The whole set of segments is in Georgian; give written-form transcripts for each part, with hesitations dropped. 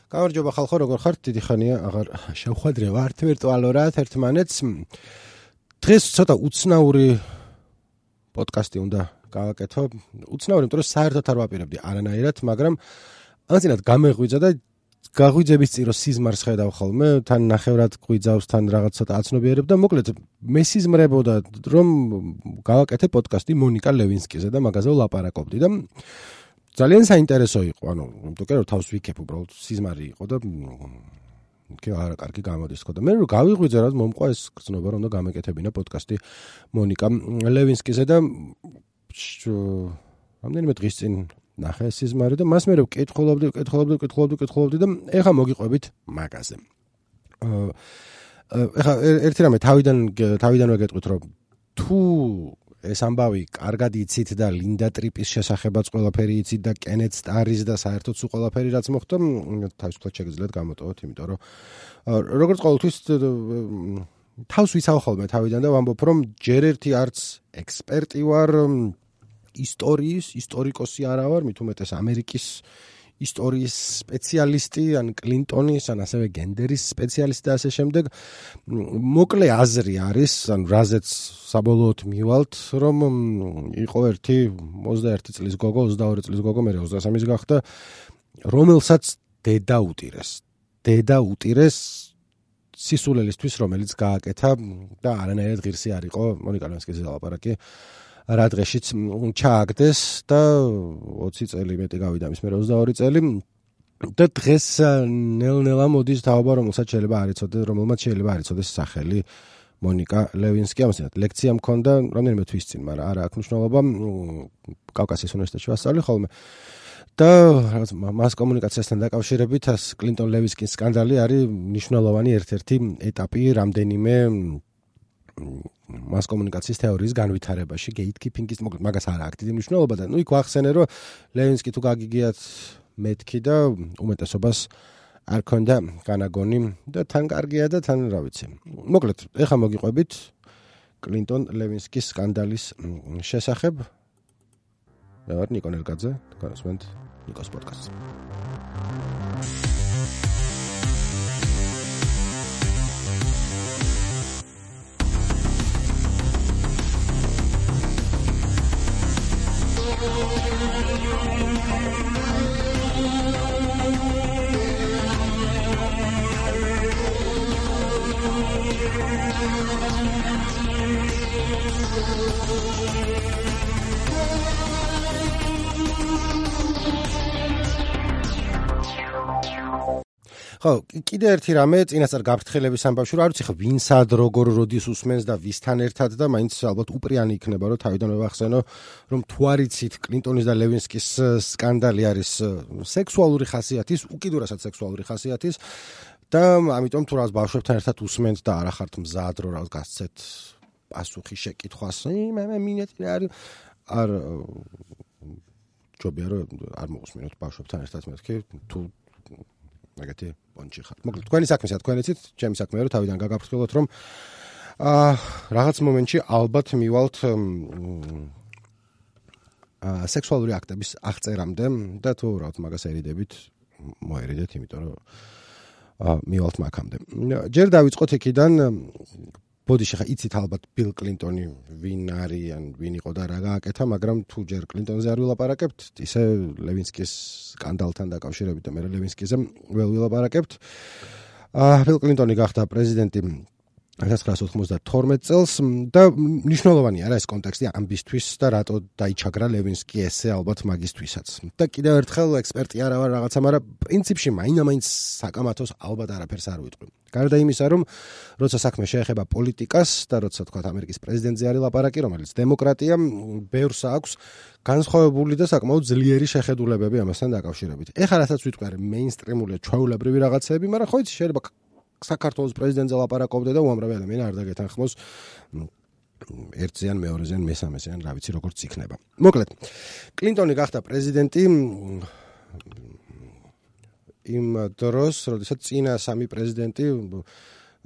გამარჯობა ხალხო, როგორ ხართ? დიდი ხანია აღარ შევხვედრე ვართ ვირტუალურად ერთმანეთს. დღეს ცოტა უცნაური პოდკასტი უნდა გავაკეთო. უცნაური, იმიტომ რომ საერთოდ არ ვაპირებდი არანაირად, მაგრამ ანცინად გამეღვიძა და გაღვიძების წირო სიზმარს ხედავ ხოლმე, თან ნახევრად გვიძავს, თან რაღაც ცოტა აცნობიერებ და მოკლედ მესიზმრებოდა რომ გავაკეთე პოდკასტი მონიკა ლევინსკიზე და მაგაზე ვლაპარაკობდი და ძალიან საინტერესო იყო, ანუ იმიტომ რომ თავს ვიქებ უბრალოდ სიზმარი იყო და არა კარგი გამოდის ხო და მე რომ გავიღვიძე რა მომყვა ეს გზნობა რომ უნდა გამეკეთებინა პოდკასტი მონიკა ლევინსკიზე და რამდენიმე დღის წინ ნახე სიზმარი და მას მე რომ კითხულობდი და ეხა მოგიყვებით მაგაზე. ეხა ერთი რამე თავიდანვე გეტყვით რომ თუ ეს ამბავი კარგად იცით და ლინდა ტრიპის შესახებაც ყველაფერი იცით და კენეთ სტარის და საერთოდ სულ ყველაფერი რაც მოხდა თავისუფლად შეგიძლიათ გამოტოვოთ, იმიტომ რომ როგორც ყოველთვის თავს ვიცავ ხოლმე თავიდან და ვამბობ რომ ჯერ ერთი არც ექსპერტი ვარ ისტორიკოსი არა ვარ, მით უმეტეს ამერიკის ისტორიის სპეციალისტი, ან კლინტონის, ან ასევე გენდერის სპეციალისტი და ასე შემდეგ. მოკლე აზრი არის, ან რაზეც საბოლოოდ მივალთ, რომ იყო ერთი 21 წლის გოგო, 22 წლის გოგო, მე 23-ის გახდა, რომელსაც დედა უტირეს სისულელისთვის, რომელიც გააკეთა და არანაირად ღირსი არ იყო მონიკა ლევინსკიზე ლაპარაკი. რა დღეშიც ჩააგდეს და 20 წელი მეტი გავიდა მის მე 22 წელი და დღეს ნელ-ნელა მოდის თაობა რომელმაც შეიძლება არ იცოდეს სახელი მონიკა ლევინსკი. ამასთან ლექცია მქონდა რამდენიმე თვის წინ, მაგრამ არა აქვს მნიშვნელობა, კავკასიის უნივერსიტეტში ვასწავლე ხოლმე და მას კომუნიკაციასთან დაკავშირებით კლინტონ ლევინსკის სკანდალი არის მნიშვნელოვანი ერთ-ერთი ეტაპი რამდენიმე მას კომუნიკაციის თეორიის განვითარებაში, გეიტკიპინგის, მოკლედ მაგას არ აქვს დიდი მნიშვნელობა და იქ ვახსენე რომ ლევინსკი თუ გაგიგიათ მეთქი და უმეტესობას არ ქონდა განაგონი და თან კარგია და თან რა ვიცი. მოკლედ, ეხა მოგიყვებით კლინტონ ლევინსკის სკანდალის შესახებ. მე ვარ ნიკო ნელკაძე, გასვენთ ნიკოს პოდკასტს. ხო, კიდე ერთი რამე წინასწარ გაფრთხილების ამბავში რომ არ ვიცი ხო ვინსად როგორ როდის უსმენს და ვისთან ერთად და მაინც ალბათ უპრიანი იქნება რომ თავიდან ვახსენო რომ თუ არ იცით კლინტონის და ლევინსკის სკანდალი არის სექსუალური ხასიათის, უკიდურესად სექსუალური ხასიათის და ამიტომ თუ რაღაც ბავშვებთან ერთად უსმენთ და არ ახართ მზად რომ რაღაც გასცეთ პასუხი შეკითხვას, მე მინეწი არ ჯობია რომ არ მოусმინოთ ბავშვებთან ერთად მეთქი თუ მაგათი პონჩი ხარ. მოკლედ თქვენი საქმეა, თქვენ იცით, ჩემი საქმეა რომ თავიდან გაგაფრთხილოთ რომ რაღაც მომენტში ალბათ მივალთ სექსუალური აქტების აღწერამდე და თუ რაღაც მაგას ერიდებით, მოერიდეთ, იმიტომ რომ მივალთ მაგამდე. ჯერ დავიწყოთ იქიდან ბოდიში ხა იცით ალბათ ბილ კლინტონი ვინ არის ან ვინ იყო და რა გააკეთა, მაგრამ თუ ჯერ კლინტონზე არ ვილაპარაკებთ, ისე ლევინსკის სკანდალთან დაკავშირებით და მე ლევინსკიზე ვილაპარაკებთ. ბილ კლინტონი გახდა პრეზიდენტი 1992 წელს და მნიშვნელოვანია რა ეს კონტექსტი ამბისთვის და რატო დაიჩაგრა ლევინსკი ესე ალბათ მაგისთვისაც. და კიდევ ერთხელ ექსპერტი არა ვარ რაღაცა, მაგრამ პრინციპში მაინც საკამათოს ალბათ არაფერს არ ვიტყვი. გარდა იმისა, რომ როცა საქმე შეეხება პოლიტიკას და როცა თქვა ამერიკის პრეზიდენტზე არის ლაპარაკი, რომელიც დემოკრატია, ბევრს აქვს განსხვავებული და საკმაოდ ძლიერი შეხედულებები ამასთან დაკავშირებით. ეხლა რასაც ვიტყვი არის მეინსტრიმული ჩვეულებრივი რაღაცეები, მაგრამ ხო იცი შეიძლება საქართველოს პრეზიდენტზე ლაპარაკობდე და უამრავი ადამიანი არ დაგეთანხმოს ერთზეან, მეორეზეან, მესამეზეან, რა ვიცი როგორც იქნება. მოკლედ, კლინტონი გახდა პრეზიდენტი იმ დროს, როდესაც წინა სამი პრეზიდენტი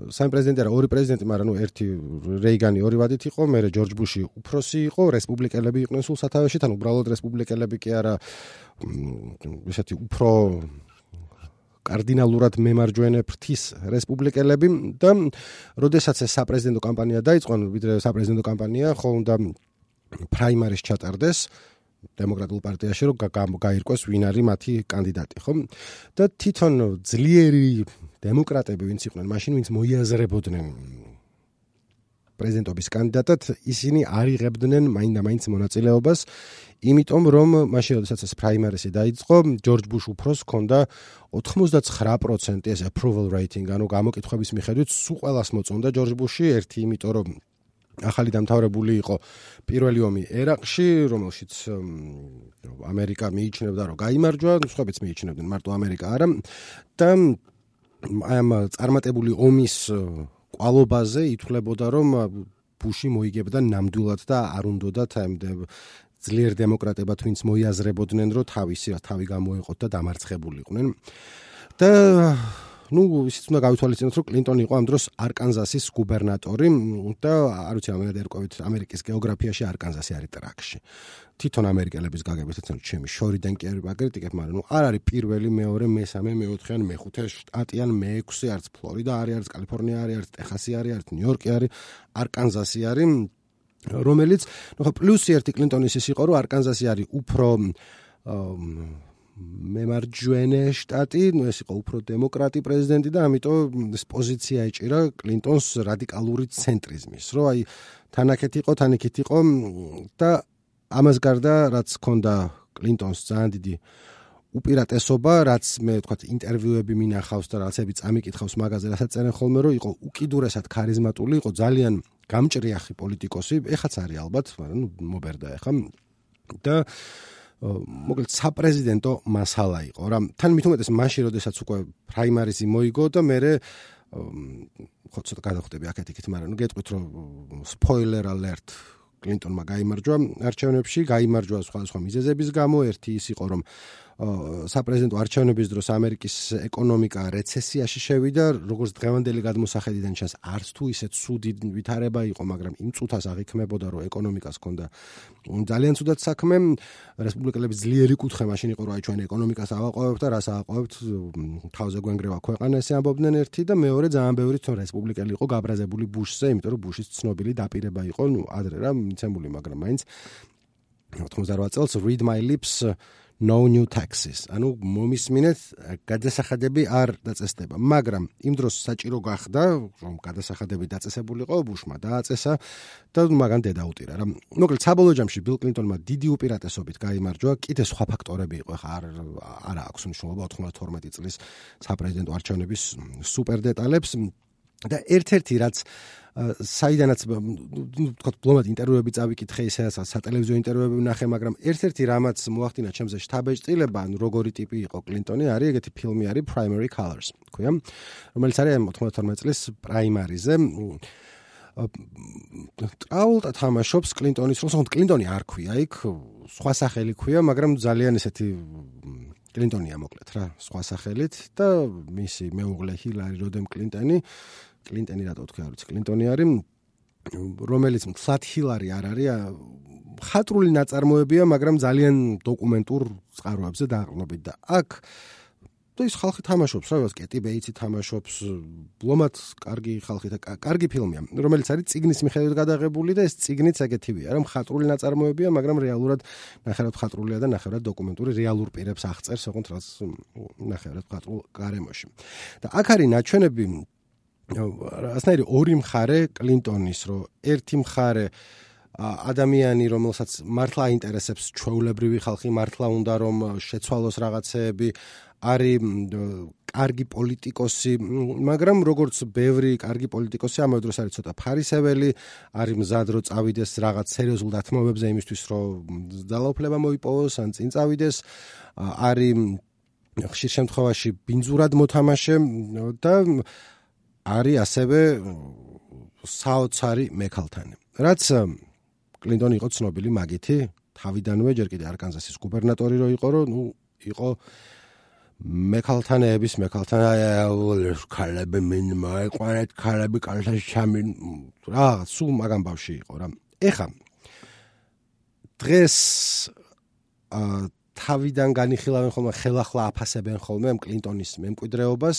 სამი ორი პრეზიდენტი, მაგრამ ერთი რეიგანი ორი ვადით იყო, მერე ჯორჯ ბუში უფროსი იყო, რესპუბლიკელები იყვნენ სულ სათავეში, თან უბრალოდ რესპუბლიკელები კი არა, ისეთი უფრო კარდინალურად მემარჯვენე ფრთის რესპუბლიკელები და როდესაც ეს საპრეზიდენტო კამპანია დაიწყო, ვიდრე საპრეზიდენტო კამპანია, ხო უნდა პრაიმარის ჩატარდეს დემოკრატიულ პარტიაში, რომ გაირკვეს ვინ არის მათი კანდიდატი, ხო? და თვითონ ძლიერი დემოკრატები ვინც იყვნენ, მაშინ ვინც მოიაზრებოდნენ პრეზიდენტობის კანდიდატად, ისინი არ იღებდნენ მაინდა-მაინც მონაწილეობას, იმიტომ რომ მაშინ როდესაც ეს პრაიმარისი დაიწყო, ჯორჯ ბუშ უფროს ჰქონდა 99% ეს approval rating, ანუ გამოკითხვების მიხედვით სულ ყველას მოწონდა ჯორჯ ბუში, ერთი იმიტომ რომ ახალი დამთავრებული იყო პირველი ომი ერაყში, რომელშიც ამერიკა მიიჩნევდა, რომ გაიმარჯვა, სხვაებიც მიიჩნევდნენ, მარტო ამერიკა არა და ამ წარმატებული ომის კვალობაზე ითვლებოდა, რომ ბუში მოიგებდა ნამდვილად და არ უნდათ ძლიერ დემოკრატებად, ვინც მოიაზრებოდნენ, რომ თავი გამოეყოთ და დამარცხებულიყვნენ. და ისიც უნდა გავითვალისწინოთ, რომ კლინტონი იყო ამ დროს არკანზასის გუბერნატორი და არ ვიცი, ამერად ერკვევით ამერიკის გეოგრაფიაში არკანზასი არის ტრაკში. თვითონ ამერიკელების გაგებით ეცნო ჩემი შორიდან კი არ ვაკრიტიკებ, მაგრამ არ არის პირველი, მეორე, მესამე, მეოთხე ან მეხუთე შტატი ან მეექვსე, არც ფლორიდა არის, არც კალიფორნია არის, არც ტეხასი არის, არც ნიუ-იორკი არის, არკანზასი არის, რომელიც პლუსი ერთი კლინტონის ის იყო, რომ არკანზასი არის უფრო მემარჯვენე შტატი, ეს იყო უფრო დემოკრატი პრეზიდენტი და ამიტომ ეს პოზიცია ეჭირა კლინტონს რადიკალური ცენტრიზმის, რომ აი თანაქეთ იყო და ამას გარდა რაც ჰქონდა კლინტონს ძალიან დიდი უპირატესობა, რაც მე ვთქვათ ინტერვიუები მინახავს და რაღაცები წამიკითხავს მაგაზე, რასაც წერენ ხოლმე, რომ იყო უკიდურესად ქარიზმატული, იყო ძალიან გამჭრიახი პოლიტიკოსი, ეხაც არის ალბათ, მაგრამ მობერდა ეხა და მოკლედ საპრეზიდენტო მასალა იყო რა. თან მით უმეტეს მაშინ, როდესაც უკვე პრაიმარიზი მოიგო და მე ხო ცოტა გადავხვდები აქეთ-იქით, მაგრამ გეტყვით, რომ spoiler alert კლინტონმა გაიმარჯვა არჩევნებში, გაიმარჯვა სხვა მიზეზების გამო, ერთი ის იყო, რომ საპრეზიდენტო არჩევნების დროს ამერიკის ეკონომიკა რეცესიაში შევიდა, როგორც დღევანდელი გადმოსახედიდან ჩანს, არც თუ ისე ცუდი ვითარება იყო, მაგრამ იმ წუთას აღიქმებოდა, რომ ეკონომიკას ჰქონდა ძალიან ცუდად საქმე, რესპუბლიკელების ძლიერი კუთხე მაშინ იყო, რომ აი ჩვენ ეკონომიკას ავაყოვებთ და რას ავაყოვებთ, თავზე გვენგრევა ქვეყანა, ესე ამბობდნენ ერთი და მეორე ძალიან ბევრი თვითონ რესპუბლიკელი იყო გაბრაზებული ბუშზე, იმიტომ რომ ბუშის ცნობილი დაპირება იყო, ადრე რა მიცემული, მაგრამ მაინც 98 წელს read my lips no new taxes. ანუ მომისმინეთ, გადასახადები არ დაწესდება, მაგრამ იმ დროს საჭირო გახდა, რომ გადასახადები დაწესებულიყო, ბუშმა დააწესა და მაგან დედაუტირა რა. მოკლედ საბოლოო ჯამში ბილ კლინტონმა დიდი უპირატესობით გაიმარჯვა, კიდე სხვა ფაქტორები იყო, ხა არ აქვს მნიშვნელობა 92 წლის საპრეზიდენტო არჩევნების სუპერ დეტალებს და ერთ-ერთი რაც საიდანაც ვთქვათ ბლომად ინტერვიუები წავიკითხე, ისე სატელევიზიო ინტერვიუები ვნახე, მაგრამ ერთ-ერთი რამაც მოახდინა ჩემზე შთაბეჭდილება, ანუ როგორი ტიპი იყო კლინტონი, არის ეგეთი ფილმი არის Primary Colors, ქვია, რომელიც არის 92 წლის პრაიმარიზე. ტრაულტა თამაშობს კლინტონის როლს, კლინტონი არ ქვია იქ, სხვა სახელი ქვია, მაგრამ ძალიან ესეთი კლინტონია მოკლედ რა, სხვა სახელით და მისი მეუღლე ჰილარი როდემ კლინტონი რატო თქვა, არ ვიცი, კლინტონი არის, რომელიც მთლად ჰილარი არ არის, ხატრული ნაწარმოებია, მაგრამ ძალიან დოკუმენტურ წყაროებზე დაყრდნობით და აქ და ის ხალხი თამაშობს, რა ვიცი, კეტი ბეიცი თამაშობს, ბლომად კარგი ხალხი და კარგი ფილმია, რომელიც არის წიგნის მიხედვით გადაღებული და ეს წიგნიც ეგეთივეა, რომ ხატრული ნაწარმოებია, მაგრამ რეალურად ნახევრად ხატრულია და ნახევრად დოკუმენტური, რეალურ პირებს აღწერს, ოღონდ რაც ნახევრად ხატრულ გარემოში. და აქ არის ნაჩვენები ასნაირი ორი მხარე კლინტონის, რომ ერთი მხარე ადამიანი, რომელსაც მართლა აინტერესებს ჩვეულებრივი ხალხი, მართლა უნდა რომ შეცვალოს რაღაცეები, არის კარგი პოლიტიკოსი, მაგრამ როგორც ბევრი კარგი პოლიტიკოსი, ამავე დროს არის ცოტა ფარისეველი, არის მზად რომ წავიდეს რაღაც სერიოზულ დათმობებზე იმისთვის, რომ ძალაუფლება მოიპოვოს, ან წინ წავიდეს, არის ხშირ შემთხვევაში ბინძურად მოთამაშე და არის ასევე საოცარი მექალთანი. რაც კლინტონი იყო ცნობილი მაგითი, თავიდანვე ჯერ კიდე არკანზასის გუბერნატორი რო იყო, რომ იყო მექალთანების ქალები მინ მოეყვანეთ, ქალები კალთაში ჩამინ რა, სულ მაგამ ბავში იყო რა. ეხა დღეს თავიდან განიხილავენ ხოლმე, ხელახლა აფასებენ ხოლმე კლინტონის მემკვიდრეობას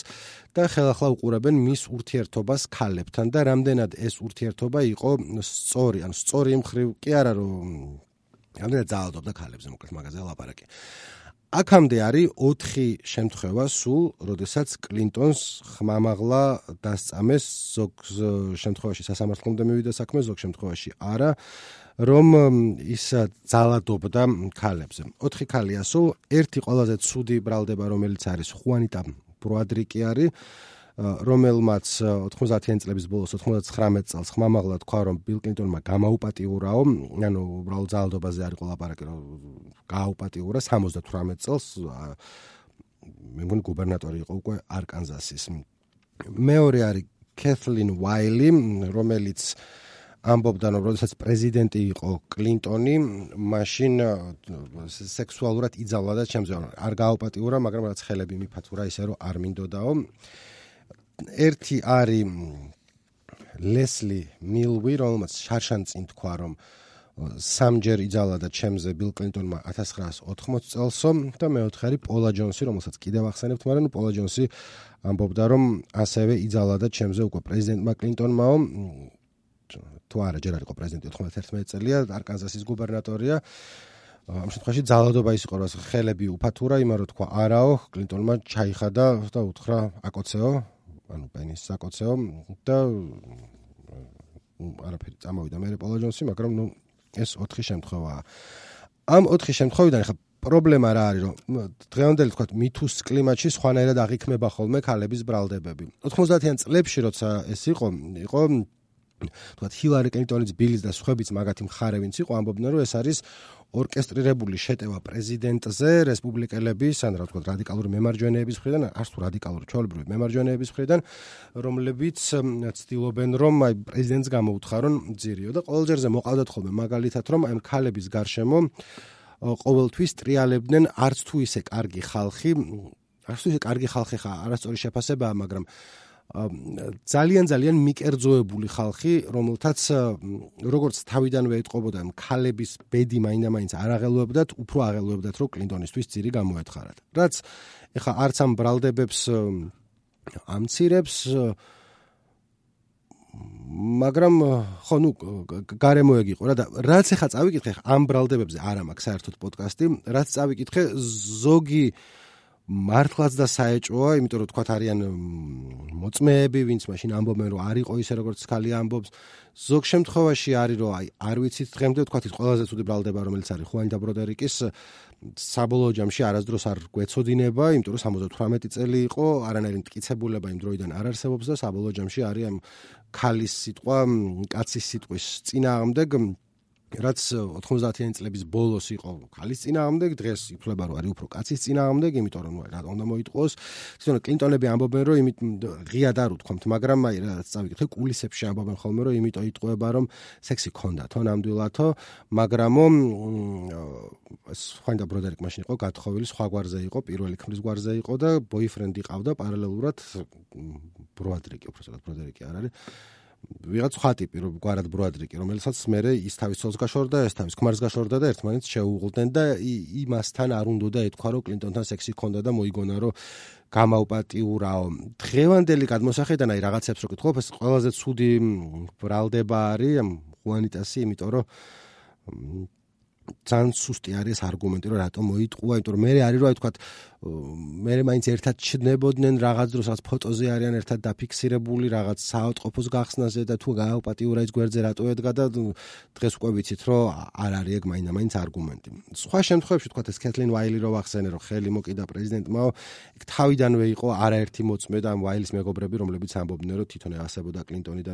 და ხელახლა უყურებენ მის ურთიერთობას ქალებთან და რამდენად ეს ურთიერთობა იყო სწორი, ანუ სწორი იმ ხრივ კი არა, რომ რამდენად ძალადობდა ქალებზე, მოკლედ მაგაზე ლაპარაკი. აქამდე არის 4 შემთხვევა სულ, როდესაც კლინტონს ხმამაღლა დასწამეს, ზოგ შემთხვევაში სასამართლომდე მივიდა საქმე, ზოგ შემთხვევაში არა, რომ ის ძალადობდა ქალებზე. 4 ქალია სულ, ერთი ყველაზე ცუდი ბრალდება, რომელიც არის ხუანიტა ბროადრიკი არის, რომელმაც 90-იან წლების ბოლოს 99 წელს ხმამაღლა თქვა, რომ ბილ კლინტონმა გამაუპატიურაო, ანუ უბრალოდ ძალადობაზე არ იყო ლაპარაკი, რომ გააუპატიურა 78 წელს, მე მგონი გუბერნატორი იყო უკვე არკანზასის. მეორე არის კეთლინ ვაილი, რომელიც ამბობდა, რომ როდესაც პრეზიდენტი იყო კლინტონი, მაშინ სექსუალურად იძავლა და ჩემზე არ გააუპატიურა, მაგრამ რაც ხელები მიფათურა ისე რომ არ მინდოდაო. ერთი არის ლესლი მილვი, რომელმაც შარშანწინ თქვა, რომ სამჯერ იძავლა და ჩემზე ბილ კლინტონმა 1980 წელსო და მეოთხე არის პოლა ჯონსი, რომელსაც კიდევ ახსენებთ, მაგრამ პოლა ჯონსი ამბობდა, რომ ასევე იძავლა და ჩემზე უკვე პრეზიდენტმა კლინტონმაო, თუ არა, ჯერ არ იყო პრეზიდენტი, 91 წელია, არკანზასის გუბერნატორია. ამ შემთხვევაში ძალადობა ის იყო, რომ ხელები უფათურა, იმან რომ თქვა არაო, კლინტონმა ჩაიხადა და უთხრა აკოცეო, ანუ პენის საკოცეო და არაფერი წამოვიდა მე პოლა ჯონსი, მაგრამ ნუ ეს 4 შემთხვევაა. ამ 4 შემთხვევიდან ხა პრობლემა რა არის, რომ დღევანდელი თქვა მითუს კლიმატში სხვანაირად აღიქმება ხოლმე ქალების ბრალდებები. 90-იან წლებში როცა ეს იყო თქვა ჰილარი კლინტონის ბილის და სხვაებიც მაგათი მხარე ვინც იყო, ამბობდნენ, რომ ეს არის ორკესტრირებული შეტევა პრეზიდენტზე რესპუბლიკელების, ან რა ვთქვა, რადიკალური მემარჯვენეების მხრიდან, არც თუ რადიკალური ჩვეულებრივი მემარჯვენეების მხრიდან, რომლებიც ცდილობენ, რომ აი პრეზიდენტს გამოუთხარონ ძირიო და ყოველჯერზე მოყავდათ ხოლმე მაგალითად, რომ აი ქალების გარშემო ყოველთვის ტრიალებდნენ არც თუ ისე კარგი ხალხი ხა არასწორი შეფასებაა, მაგრამ ძალიან მიკერძოებული ხალხი, რომელთაც როგორც თავიდანვე ეტყობოდა, ქალების ბედი მაინდა-მაინც არ აღელვებდათ, უფრო აღელვებდათ, რომ კლინტონისთვის ძირი გამოეთხარათ. რაც ეხა არც ამ ბრალდებებს ამცირებს, მაგრამ ხო, ნუ გარემო ეგ იყო რა და რაც ეხა წავიკითხე, ამ ბრალდებებზე არ მაქვს საერთოდ პოდკასტი, რაც წავიკითხე, ზოგი მართლაც და საეჭვოა, იმიტომ რომ თქვათ არიან მოწმეები, ვინც მაშინ ამბობენ, რომ არ იყო ისე როგორც ქალი ამბობს. ზოგ შემთხვევაში არის, რომ აი არ ვიცით დღემდე თქვათ ის ყველაზე ცუდი ბრალდება, რომელიც არის ხუანიტა ბროდერიკის, საბოლოო ჯამში არასდროს არ გვეცოდინება, იმიტომ რომ 78 წელი იყო, არანაირი მტკიცებულება იმ დროიდან არ არსებობს და საბოლოო ჯამში არის ამ ქალის სიტყვა, კაცის სიტყვის წინააღმდეგ, რაც 90-იან წლების ბოლოს იყო ქალის წინააღმდეგ, დღეს ითვლება, რომ არის უფრო კაცის წინააღმდეგ, იმიტომ რომ რატომ უნდა მოიტყოს. თვითონ კლინტონები ამბობენ, რომ იმით ღიად არ უთქვამთ, მაგრამ აი რაც წავიკითხე, კულისებში ამბობენ ხოლმე, რომ იმიტომ იტყვება, რომ სექსი ქონდათო, ნამდვილათო, მაგრამო ხუანიტა ბროდერიკ მაშინ იყო გათხოვილი, სხვა გვარზე იყო, პირველი ქმრის გვარზე იყო და ბოიფრენდი ყავდა პარალელურად ბროდერიკი, უბრალოდ ბროდერიკი არ არის. ვიღაც სხვა ტიპი, გვარად ბროდერიკი, რომელსაც მერე ის თავის ცოლს გაშორდა, ეს თავის ქმარს გაშორდა და ერთმანეთს შეუღლდნენ და იმასთან არ უნდოდა ეთქვა, რომ კლინტონთან სექსი ქონდა და მოიგონა, რომ გამაუპატიურაო. დღევანდელი გადმოსახედიდან აი რაღაცებს რო გითხობ, ეს ყველაზე ცუდი ბრალდება არის ხუანიტასი, იმიტომ რომ ძალიან სუსტი არის არგუმენტი, რომ რატომ მოიტყუა, იმიტომ რომ მე არის რომ აი თქვა მე მაინც ერთად ჩნდებოდნენ რაღაც დროს, რაც ფოტოზე არიან ერთად დაფიქსირებული, რაღაც საავადმყოფოს გახსნაზე და თუ გააუპატიურა ის გვერდზე რატო ედგა და დღეს უკვე ვიცით, რომ არ არის ეგ მაინდა-მაინც არგუმენტი. სხვა შემთხვევებში თქვა ეს კეთლინ ვაილი რო ვახსენე, რომ ხელი მოკიდა პრეზიდენტმაო, ეგ თავიდანვე იყო არაერთი მოწმე და ამ ვაილის მეგობრები, რომლებიც ამბობდნენ, რომ თვითონ ევასებოდა კლინტონი და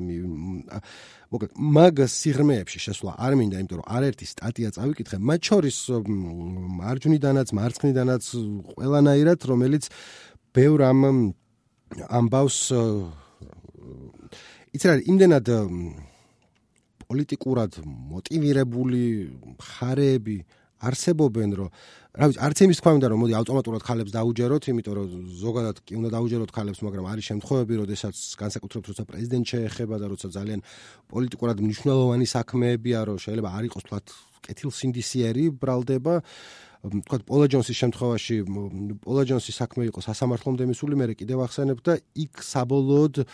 მოკლედ მაგ სიღრმეებში შესვლა არ მინდა, იმიტომ რომ არაერთი სტატია წავიკითხე, მათ შორის მარჯვნიდანაც, მარცხნიდანაც ყველანაირად, რომელიც ბევრ ამბავს იცი რა, იმდენად პოლიტიკურად მოტივირებული მხარეები არსებობენ, რომ რა ვიცი, არც იმის თქვა მინდა, რომ მოდი ავტომატურად ქალებს დაუჯეროთ, იმიტომ რომ ზოგადად კი უნდა დაუჯეროთ ქალებს, მაგრამ არის შემთხვევები, როდესაც განსაკუთრებით როცა პრეზიდენტ შეეხება და როცა ძალიან პოლიტიკურად მნიშვნელოვანი საქმეებია, რომ შეიძლება არ იყოს თქვათ კეთილსინდისიერი ბრალდება. თქვათ პოლა ჯონსის შემთხვევაში პოლა ჯონსის საქმე იყო სასამართლომდე მისული, მე კიდევ ახსენებ და იქ საბოლოოდ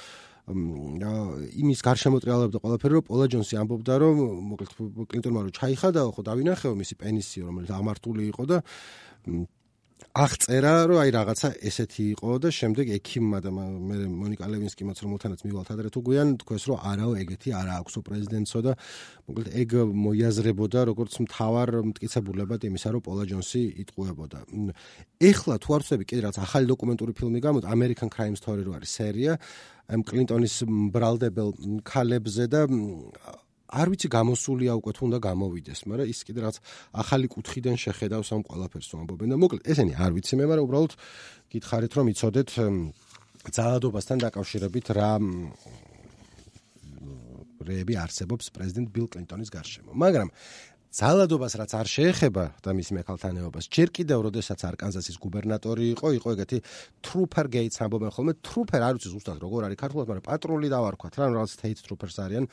იმის გარშემო ტრიალებდა ყველაფერი, რომ პოლა ჯონსი ამბობდა, რომ მოკლედ კლინტონმა რომ ჩაიხადაო, ხო დავინახეო მისი პენისი, რომელიც აღმართული იყო და აღწერა, რომ აი რაღაცა ესეთი იყო და შემდეგ ექიმმა და მე მონიკა ლევინსკიმაც რომელთანაც მივალთ ადრე თუ გვიან თქვეს, რომ არაო ეგეთი არა აქვსო პრეზიდენტსო და მოკლედ ეგ მოიაზრებოდა როგორც მთავარ მტკიცებულებად იმისა, რომ პოლა ჯონსი იტყუებოდა. ეხლა თუ არ ვცდები კიდე რაღაც ახალი დოკუმენტური ფილმი გამოდგა, American Crime Story რო არის სერია, კლინტონის ბრალდებელ ქალებზე და არ ვიცი გამოსულია უკვე თუ უნდა გამოვიდეს, მაგრამ ის კიდე რაღაც ახალი კუთხიდან შეხედავს ამ ყველაფერს ამბობენ და მოკლედ ესენი არ ვიცი მე, მაგრამ უბრალოდ გითხარით რომ იცოდეთ ძალადობასთან დაკავშირებით რა რეები არსებობს პრეზიდენტ ბილ კლინტონის გარშემო. მაგრამ ძალადობას რაც არ შეეხება და მის მეკალთანეობას, ჯერ კიდევ როდესაც არკანზასის გუბერნატორი იყო ეგეთი ტრუპერ გეიტს ამბობენ ხოლმე, ტრუპერ არ ვიცი ზუსტად როგორ არის ქართულად, მაგრამ პატრული დავარქვათ რა, რაღაც state troopers არიან,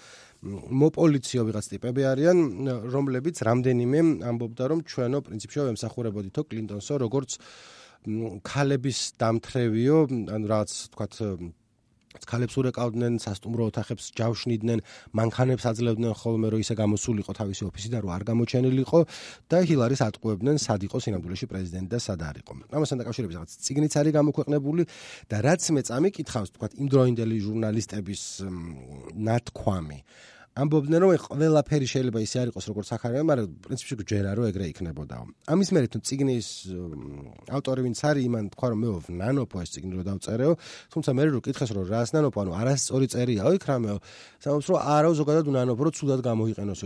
მოპოლიციო ვიღაც ტიპები არიან, რომლებიც რამდენიმე ამბობდა რომ ჩვენო პრინციპში ვემსახურებოდითო კლინტონსო როგორც ქალების დამთრევიო, ანუ რაღაც თქვათ ქალებს ურეკავდნენ, სასტუმრო ოთახებს ჯავშნიდნენ, მანქანებს აძლევდნენ ხოლმე, რომ ისე გამოსულიყო თავისი ოფისიდან, რომ არ გამოჩენილიყო და ჰილარის ატყუებდნენ, სად იყო სინამდვილეში პრეზიდენტი და სად არ იყო. ამასთან დაკავშირებით რაღაც წიგნიც არის გამოქვეყნებული და რაც მე წამიკითხავს, თქვათ იმდროინდელი ჟურნალისტების ნათქვამი. ამბობდნენ, რომ ყველაფერი შეიძლება ისე არ იყოს, როგორც აქ არის, მაგრამ პრინციპში გჯერა, რომ ეგრე იქნებოდაო. ამის მერე თუ წიგნის ავტორი ვინც არის, იმან თქვა, რომ მე ვნანოფო ეს წიგნი რომ დავწერეო, თუმცა მე რო კითხეს, რომ რას ნანოფო, ანუ არასწორი წერიაო იქ რამეო, სამობს რომ არა ზოგადად ვნანოფო, რომ ცუდად გამოიყენოსო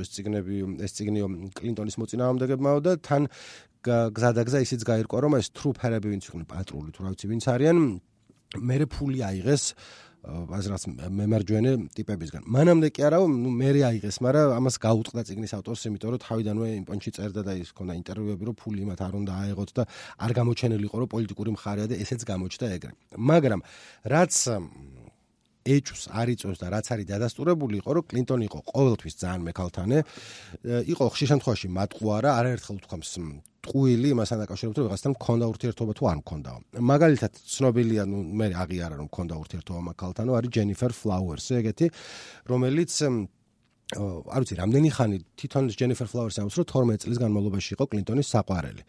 ეს წიგნიო კლინტონის მოწინააღმდეგებმაო და თან გზადაგზა ისიც გაირკვა, რომ ეს ტრუპერები ვინც იყვნენ პატრული, თუ რა ვიცი ვინც არიან, მერე ფული აიღეს აზრაც მემარჯვენე ტიპებისგან. მანამდე კი არა, მერე აიღეს, მაგრამ ამას გაუტყდა წიგნის ავტორს, იმიტომ რომ თავიდანვე იმ პონჩი წერდა და ის ქონდა ინტერვიუები, რომ ფული მათ არ უნდა აეღოთ და არ გამოჩენილიყო, რომ პოლიტიკური მხარეა და ესეც გამოჩნდა ეგრე. მაგრამ რაც ეჭვს არ იწვევს და რაც არის დადასტურებული იყო, რომ კლინტონი იყო ყოველთვის ძალიან მეკალთანე, იყო ხშირ შემთხვევაში მატყუარა, არაერთხელ თქვამს ტყუილი იმასთან დაკავშირებით, რომ ვიღაცთან მქონდა ურთიერთობა თუ არ მქონდაო. მაგალითად, ცნობილია, მე აღიარა რომ მქონდა ურთიერთობა მაგალთანო, არის ჯენიფერ ფლაუერსი, ეგეთი, რომელიც არ ვიცი, რამდენი ხანი თვითონ ჯენიფერ ფლაუერსი ამბობს, რომ 12 წლის განმავლობაში იყო კლინტონის საყვარელი.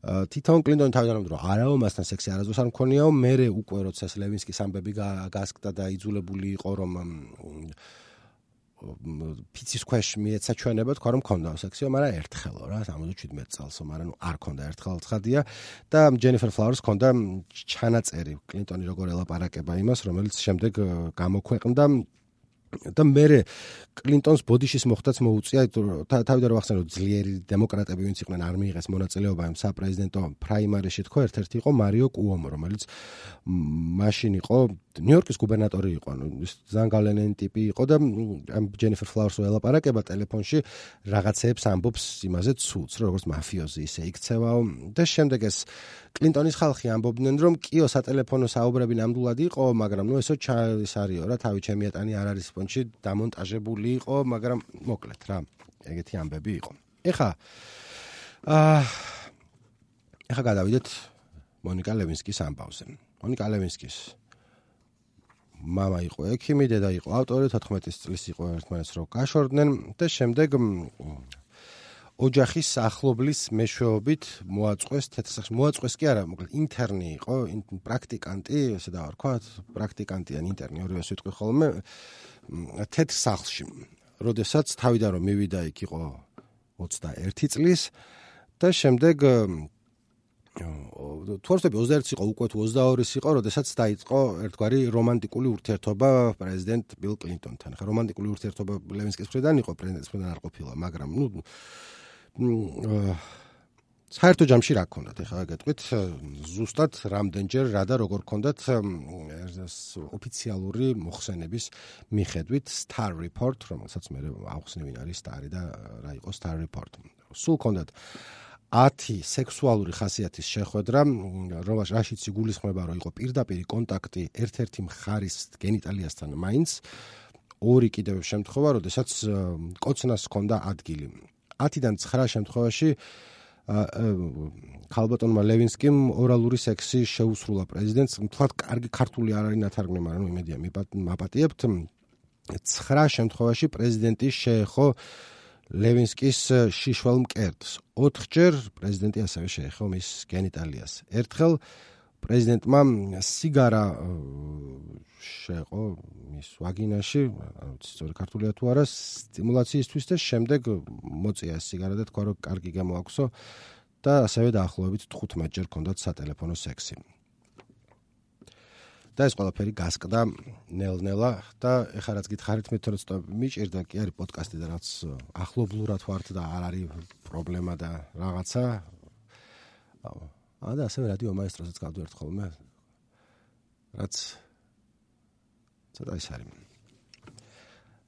თვითონ კლინტონი თავიდან ამბობდა, რომ არაო მასთან სექსი არასდროს არ მქონიაო, მერე უკვე როცა ლევინსკის ამბები გასკდა და იძულებული იყო რომ ფიცის ქვეშ მიეცა ჩვენება, თქვა რომ მქონდაო სექსიო, მაგრამ ერთხელო რა, 77 წელსო, მაგრამ არ მქონდა ერთხელ ცხადია და ჯენიფერ ფლაუერს მქონდა ჩანაწერი კლინტონი როგორ ელაპარაკება იმას, რომელიც შემდეგ გამოქვეყნდა და მერე კლინტონს ბოდიშის მოხდაც მოუწია, თავიდან რომ ახსენო ძლიერი დემოკრატები ვინც იყვნენ არ მიიღეს მონაწილეობა იმ საპრეზიდენტო პრაიმარიში, თქო, ერთ-ერთი იყო მარიო კუომო, რომელიც მაშინ იყო ნიუ-იორკის გუბერნატორი იყო, ანუ ძალიან გავლენიანი ტიპი იყო და ამ ჯენიფერ ფლაუერსო ელაპარაკება ტელეფონში რაღაცეებს ამბობს იმაზე ცუდს, როგორც მაფიოზი ისე იქცევაო და შემდეგ ეს კლინტონის ხალხი ამბობდნენ, რომ კიო სატელეფონო საუბრები ნამდვილად იყო, მაგრამ ნუ ესო ჩაის არისო რა, თავი ჩემი ეტანი არ არის ფონში დამონტაჟებული იყო, მაგრამ მოკლედ რა, ეგეთი ამბები იყო. ეხა გადავიდეთ მონიკა ლევინსკის ამბავზე. მონიკა ლევინსკის მამა იყო ექიმი, დედა იყო ავტორი, 14 წლის იყო ერთმანეთს რო გაშორდნენ და შემდეგ ოჯახის ახლობლის მეშვეობით მოაწყვეს თეთრსახში. მოაწყვეს კი არა, მოკლედ ინტერნი იყო, პრაქტიკანტი, ესე დავარქვათ, პრაქტიკანტი ან ინტერნი, ორივე სიტყვი ხოლმე თეთრსახლში. როდესაც თავიდან რომ მივიდა იქ იყო 21 წლის და შემდეგ თუ არ ვცდები 21 იყო უკვე თუ 22 იყო, როდესაც დაიწყო ერთგვარი რომანტიკული ურთიერთობა პრეზიდენტ ბილ კლინტონთან. ხა რომანტიკული ურთიერთობა ლევინსკის მხრიდან იყო, პრეზიდენტის მხრიდან არ ყოფილა, მაგრამ საერთო ჯამში რა გქონდათ, ეხლა გეტყვით, ზუსტად რამდენჯერ რა და როგორ გქონდათ ოფიციალური მოხსენების მიხედვით Star Report, რომელსაც მე ავხსნე ვინ არის Star-ი და რა იყო Star Report. სულ გქონდათ 10 სექსუალური ხასიათის შეხვედრა, რაშიც იგულისხმება, რომ იყო პირდაპირი კონტაქტი ერთ-ერთი მხარის გენიტალიასთან მაინც, ორი კიდევ შემთხვევა, როდესაც კოცნას ჰქონდა ადგილი. 10-დან 9 შემთხვევაში ქალბატონმა ლევინსკიმ ორალური სექსი შეუსრულა პრეზიდენტს. თქვათ, კარგი ქართული არ არის ნათარგმნი, მაგრამ იმედია მაპატიებთ. 9 შემთხვევაში პრეზიდენტი შეეხო ლევინსკის შიშველ მკერდს. 4ჯერ პრეზიდენტი ასევე შეეხო მის გენიტალიას. ერთხელ პრეზიდენტმა სიგარა შეეყო მის ვაგინაში, არ ვიცი სწორი ქართულია თუ არა, სტიმულაციისთვის და შემდეგ მოწია სიგარა და თქვა, რომ კარგი გამოაქვსო და ასევე დაახლოებით 15ჯერ ჰქონდათ სატელეფონო სექსი. და ეს ყველაფერი გასკდა ნელ-ნელა და ეხლა რაც გითხარით მე თორე ცოტა მიჭირდა კი არის პოდკასტი და რაც ახლობლურად ვართ და არ არის პრობლემა და რაღაცა. და ასევე რადიო მაესტროსაც გავდივართ ხოლმე. რაც ცოტა ის არის.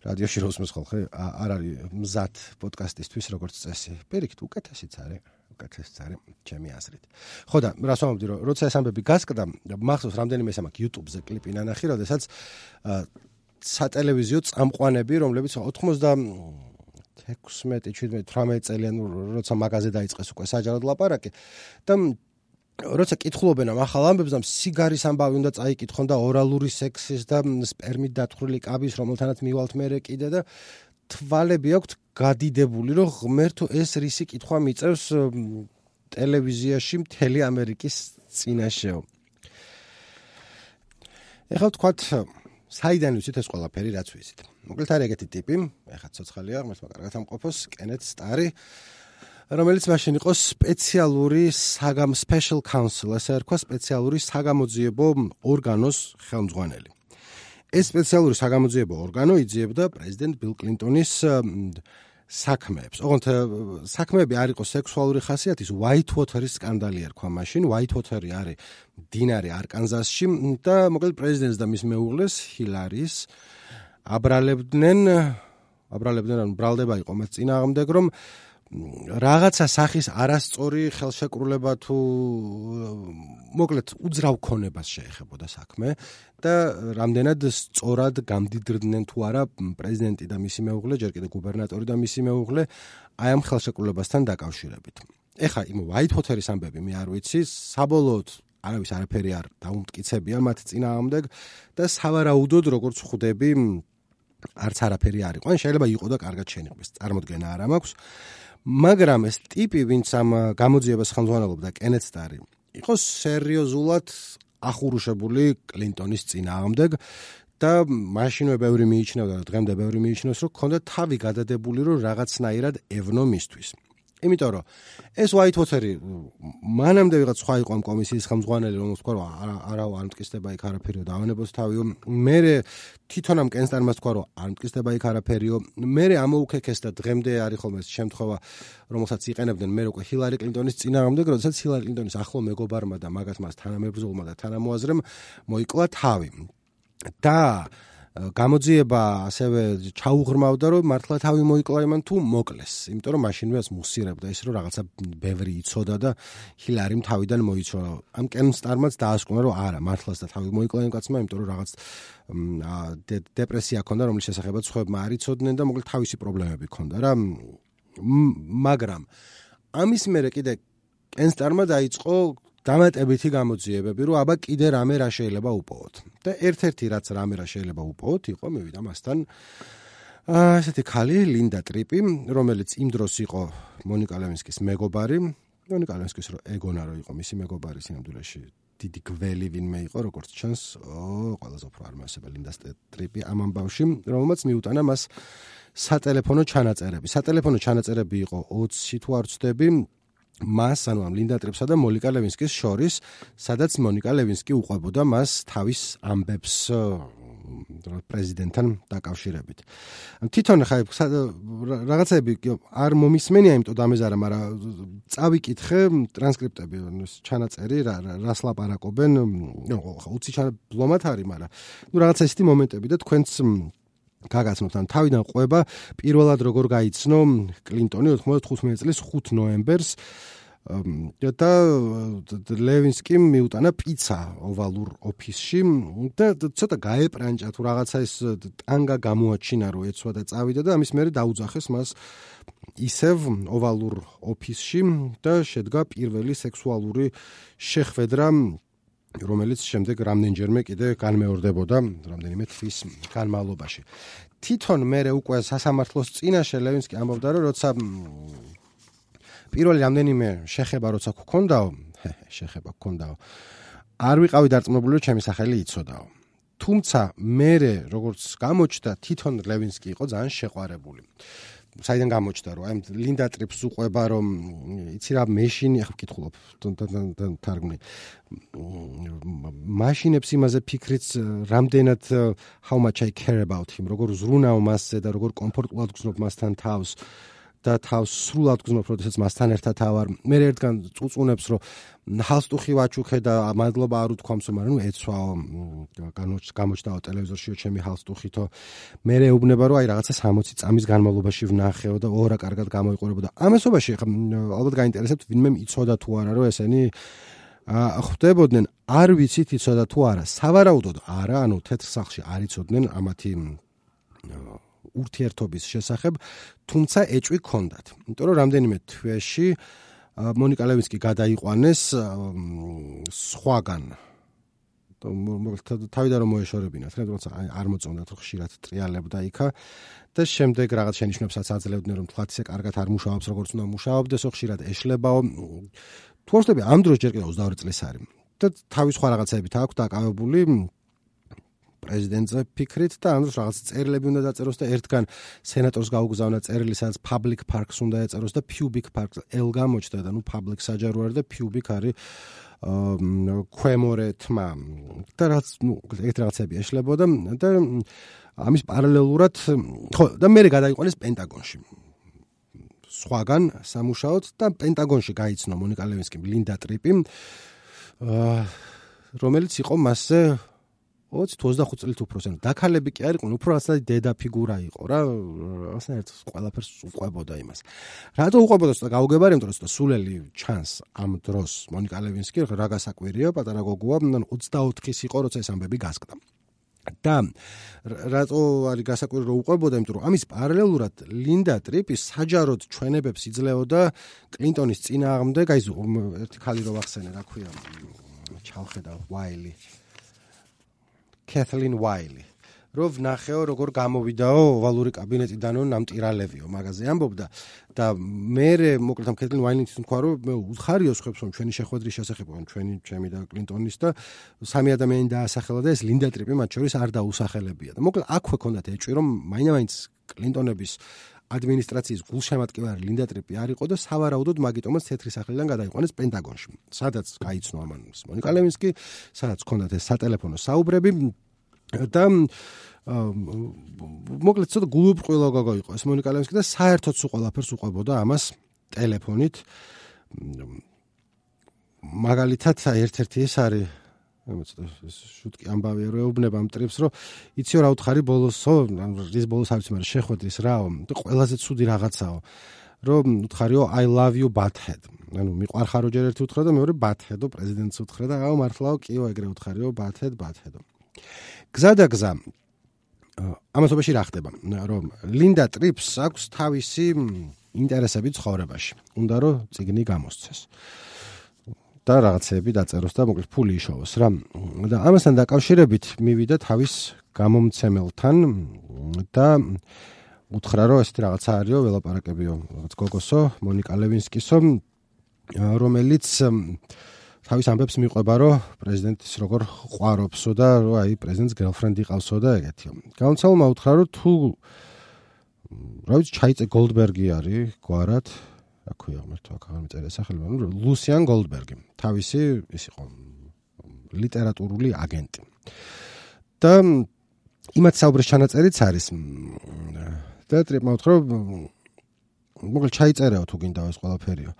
რადიოში როსმეს ხოლმე არ არის მზად პოდკასტისთვის როგორც წესი. პირიქით უკეთესიც არის. ჩემი აზრით. ხო და რას ვამბობდი, რომ როცა ეს ამბები გასკდა, მახსოვს რამდენიმე ეს მაქვს YouTube-ზე კლიპი ნანახი, როდესაც სატელევიზიო წამყვანები, რომლებიც 96-17 წელიან როცა მაგაზე დაიწყეს უკვე საჯაროდ ლაპარაკი და როცა კითხულობენ ამ ახალ ამბებს და სიგარის ამბავი უნდა წაიკითხონ და ორალური სექსის და სპერმით დათხრილი კაბის, რომელთანაც მივალთ მერე კიდე და თვალები აქვთ გადიდებული, რომ ღმერთო ეს რისი კითხვა მიწევს ტელევიზიაში მთელი ამერიკის წინაშეო. ეხლა ვთქვათ, საიდან ვიცით ეს ყველაფერი, რაც ვიცით. მოკლედ არის ეგეთი ტიპი, ეხლა ცოცხალია, ღმერთმა კარგად ამყოფოს, კენეთ სტარი, რომელიც მაშინ იყო სპეციალური special counsel, ასე ერქვა, სპეციალური საგამოძიებო ორგანოს ხელმძღვანელი. ეს სპეციალური საგამოძიებო ორგანო იძიებდა პრეზიდენტ ბილ კლინტონის საქმეებს. ოღონდ საქმეები არ იყო სექსუალური ხასიათის, Whitewater-ის სკანდალი ერქვა მაშინ. Whitewater-ი არის მდინარე არკანზასში და მოკლედ პრეზიდენტს და მის მეუღლეს ჰილარის აბრალებდნენ, ანუ ბრალდება იყო მას წინააღმდეგ, რომ რაღაცა სახის არასწორი ხელშეკრულება თუ მოკლედ უძრავ ქონებას შეეხებოდა საქმე და რამდენად სწორად გამდიდრდნენ თუ არა პრეზიდენტი და მისი მეუღლე, ჯერ კიდევ გუბერნატორი და მისი მეუღლე აი ამ ხელშეკრულებასთან დაკავშირებით. ეხლა იმ Whitewater-ის ამბები მე არ ვიცი, საბოლოოდ არავის არაფერი არ დაუმტკიცებია მათ წინააღმდეგ და სავარაუდოდ როგორც ხვდები არც არაფერი არ იყო. ან შეიძლება იყო და კარგად შენიღბეს, წარმოდგენა არ მაქვს. მაგრამ ეს ტიპი, ვინც ამ გამოძიებას ხელმძღვანელობდა, კენეთ სტარი, იყო სერიოზულად ახურუშებული კლინტონის წინააღმდეგ და მაშინვე ბევრი მიიჩნევდა და დღემდე ბევრი მიიჩნევს, რომ ჰქონდა თავი გადადებული, რომ რაღაცნაირად ევნო მისთვის. იმიტომ რომ ეს Whitewater-ი მანამდე ვიღაც სხვა იყო ამ კომისიის ხელმძღვანელი, რომელს თქვა, რომ არა არ მტკიცდება იქ არაფერიო და ავანებოს თავიო. მერე თვითონ ამ კენსტარმა თქვა, რომ არ მტკიცდება იქ არაფერიო. მერე ამოუქეკეს და დღემდე არის ხოლმე ეს შემთხვევა, რომელსაც იყენებდნენ მერე უკვე ჰილარი კლინტონის წინააღმდეგ, როდესაც ჰილარი კლინტონის ახლო მეგობარმა და მაგათ მას თანამებრძოლმა და თანამოაზრემ მოიკლა თავი. და გამოძიება ასევე ჩაუღრმავდა, რომ მართლა თავი მოიკლა იმან თუ მოკლეს. იმიტომ რომ მაშინვე ას მუსირებდა ის, რომ რაღაცა ბევრი იცოდა და ჰილარიმ თავიდან მოიცვა. ამ კენსტარმაც დაასკვნა, რომ არა, მართლაც და თავი მოიკლა იმ კაცმა, იმიტომ რომ რაღაც დეპრესია ჰქონდა, რომლის შესახებაც სხვებმა არ იცოდნენ და მოკლედ თავისი პრობლემები ჰქონდა რა. მაგრამ ამის მერე კიდე კენსტარმა დაიწყო დამატებითი გამოძიებები, რომ აბა კიდე რამე რა შეიძლება უპოვოთ. და ერთ-ერთი რაც რამე რა შეიძლება უპოვოთ, იყო მივიდა მასთან ესეთი ქალი ლინდა ტრიპი, რომელიც იმ დროს იყო მონიკა ლევინსკის მეგობარი. მონიკა ლევინსკის რო ეგონა რო იყო მისი მეგობარი სინამდვილეში დიდი გველი ვინმე იყო, როგორც ჩანს, ყველაზე უფრო არ მასება ლინდა ტრიპი ამ ამბავში, რომელმაც მიუტანა მას სატელეფონო ჩანაწერები. სატელეფონო ჩანაწერები იყო 20 თუ არ ვცდები მას, ანუ ამ ლინდა ტრიპსა და მონიკა ლევინსკის შორის, სადაც მონიკა ლევინსკი უყვებოდა მას თავის ამბებს პრეზიდენტთან დაკავშირებით. თვითონ ხა რაღაცები არ მომისმენია, იმიტომ დამეზარა, მაგრამ წავიკითხე ტრანსკრიპტები, ჩანაწერი, რას ლაპარაკობენ, 20 ბლომად არის, მაგრამ რაღაცა ისეთი მომენტები და თქვენც გაგაცნობთ, ან თავიდან ყვება პირველად როგორ გაიცნო კლინტონი 95 წლის 5 ნოემბერს და ლევინსკიმ მიუტანა პიცა ოვალურ ოფისში და ცოტა გაეპრანჭა თუ რაღაცა ეს ტანგა გამოაჩინა რომ ეცვა და წავიდა და ამის მერე დაუძახეს მას ისევ ოვალურ ოფისში და შედგა პირველი სექსუალური შეხვედრა რომელიც შემდეგ რამდენჯერმე კიდე განმეორდებოდა რამდენიმე თვის განმავლობაში. თვითონ მერე უკვე სასამართლოს წინაშე ლევინსკი ამბობდა რომ როცა პირველი რამდენიმე შეხება როცა გქონდაო არ ვიყავი დარწმუნებული რომ ჩემი სახელი იცოდაო. თუმცა მერე როგორც გამოჩნდა თვითონ ლევინსკი იყო ძალიან შეყვარებული. საიდან გამოჩნდა რომ აი ლინდა ტრიპს უყვება რომ იცი რა მეშინი ახლა ვკითხულობ თარგმნი მაშინებს იმაზე ფიქრიც რამდენად how much I care about him როგორ ზრუნავ მასზე და როგორ კომფორტულად გრძნობ მასთან თავს და თავს სრულად გრძნობ როდესაც მასთან ერთად ავარ მე ერთგან წუწუნებს რომ ჰალსტუხი ვაჩუქე და მადლობა არ უთქვამს მაგრამ ეცვაო გამოჩნდაო ტელევიზორშიო ჩემი ჰალსტუხითო მე ეუბნება რომ აი რაღაცა 60 წამის განმავლობაში ვნახეო და ორა კარგად გამოიყურებოდა ამასობაში ალბათ გაინტერესებთ ვინმე იცოდა თუ არა რომ ესენი ხვდებოდნენ არ ვიცით იცოდა თუ არა სავარაუდოდ არა ანუ თეთრ სახლში არ იცოდნენ ამათი ურთიერთობის შესახებ თუმცა ეჭვი ჰქონდათ იმიტომ რომ რამდენიმე თვეში მონიკა ლევინსკი გადაიყვანეს სხვაგან თავიდან რომ მოეშორებინათ როცა არ მოწონდათ რომ ხშირად ტრიალებდა იქა და შემდეგ რაღაც შენიშვნებსაც აძლევდნენ რომ თლათ ისე კარგად არ მუშაობს როგორც უნდა მუშაობდეს ხშირად ეშლებაო თუ ახსნები ამ დროს ჯერ კიდევ 22 წლის არის და თავის სხვა რაღაცებით აქვს დაკავებული პრეზიდენტზე ფიქრით და ამ დროს რაღაც წერილები უნდა დაწეროს და ერთგან სენატორს გაუგზავნა წერილი სადაც public parks უნდა ეწეროს და pubic parks L გამოჩნდა და ნუ public საჯარო არის და pubic არის ქვემორე თმა და რაც ნუ ეგეთ რაღაცები ეშლებოდა და ამის პარალელურად ხო და მე გადაიყვანეს პენტაგონში სხვაგან სამუშაოდ და პენტაგონში გაიცნო მონიკა ლევინსკიმ ლინდა ტრიპი რომელიც იყო მასზე 20-25 წლით უფროსი. დაქალები კი არ იყვნენ, უფრო რაღაცა დედა ფიგურა იყო რა, რაღაცნაირად ყველაფერს უყვებოდა იმას. რატო უყვებოდა და გაუგებარი, იმიტომ რომ სულელი ჩანს ამ დროს მონიკა ლევინსკი რა გასაკვირია, პატარა გოგოა, 24-ის იყო, როცა ეს ამბები გასკდა. და რატო არის გასაკვირი რომ უყვებოდა, იმიტომ რომ ამის პარალელურად ლინდა ტრიპი საჯაროდ ჩვენებებს იძლეოდა კლინტონის წინააღმდეგ, აი ერთი ხალი რო ვახსენე, რა ქვია, ჩავხედავ ვაილი Kathleen Wiley. Რომ ვნახეო როგორ გამოვიდაო ოვალური კაბინეტიდანო ნამტირალებიო მაგაზე ამბობდა და მე მოკლედ ამ Kathleen Wiley-ის თქვა რომ მე უხარიო ხებს რომ ჩვენი შეხვედრის შესახებ ჩემი და კლინტონის და სამი ადამიანი დაასახელა და ეს ლინდა ტრიპი მათ შორის არ დაუსახელებია და მოკლედ აქვე ქონდათ ეჭვი რომ მაინც კლინტონების ადმინისტრაციის გულშემატკივარი ლინდა ტრიპი არ იყო და სავარაუდოდ მაგიტომაც თეთრი სახლიდან გადაიყვანეს პენტაგონში. სადაც გაიცნო ამას მონიკა ლევინსკი, სადაც ჰქონდათ ეს სატელეფონო საუბრები და მოკლედ ცოტა გულუბრყვილო გოგო იყო ეს მონიკა ლევინსკი და საერთოდ სულ ყველაფერს უყვებოდა ამას ტელეფონით. მაგალითად ერთ-ერთი ეს არის შუტკი ამბავია რომ ეუბნება ამ ტრიპს რომ იციო რა უთხარი ბოლოსო ის ბოლოს არ ვიცი მაგრამ შეხვედრის რაო და ყველაზე ცუდი რაღაცაო რომ უთხარიო I love you butthead ანუ მიყვარხარო ჯერ ერთი უთხრა და მეორე butthead-ო პრეზიდენტს უთხრა და აუ მართლაო კიო ეგრე უთხარიო butthead-ო გზა და გზა ამასობაში რა ხდება რომ ლინდა ტრიპს აქვს თავისი ინტერესები ცხოვრებაში უნდა რომ წიგნი გამოსცეს და რაღაცები დაწეროს და მოკლედ ფული იშოვოს რა და ამასთან დაკავშირებით მივიდა თავის გამომცემელთან და უთხრა რომ ესეთი რაღაცა არისო ველაპარაკებიო რაღაც გოგოსო მონიკა ლევინსკისო რომელიც თავის ამბებს მიყვება რომ პრეზიდენტის როგორ ყვარობსო და რომ აი პრეზიდენტს გერლფრენდი ყავსო და ეგეთიო გამომცემელმა უთხრა რომ თუ რა ვიცი ჩაიწე გოლდბერგი არის გვარად აქვია მართლა აქ აღარ მიწერია სახელი, მაგრამ ლუსიან გოლდბერგი, თავისი ის იყო ლიტერატურული აგენტი. და იმათ საუბრის ჩანაწერიც არის. და ტრიპმა უთხრა, მოკლედ ჩაიწერეო თუ გინდა ეს ყველაფერიო.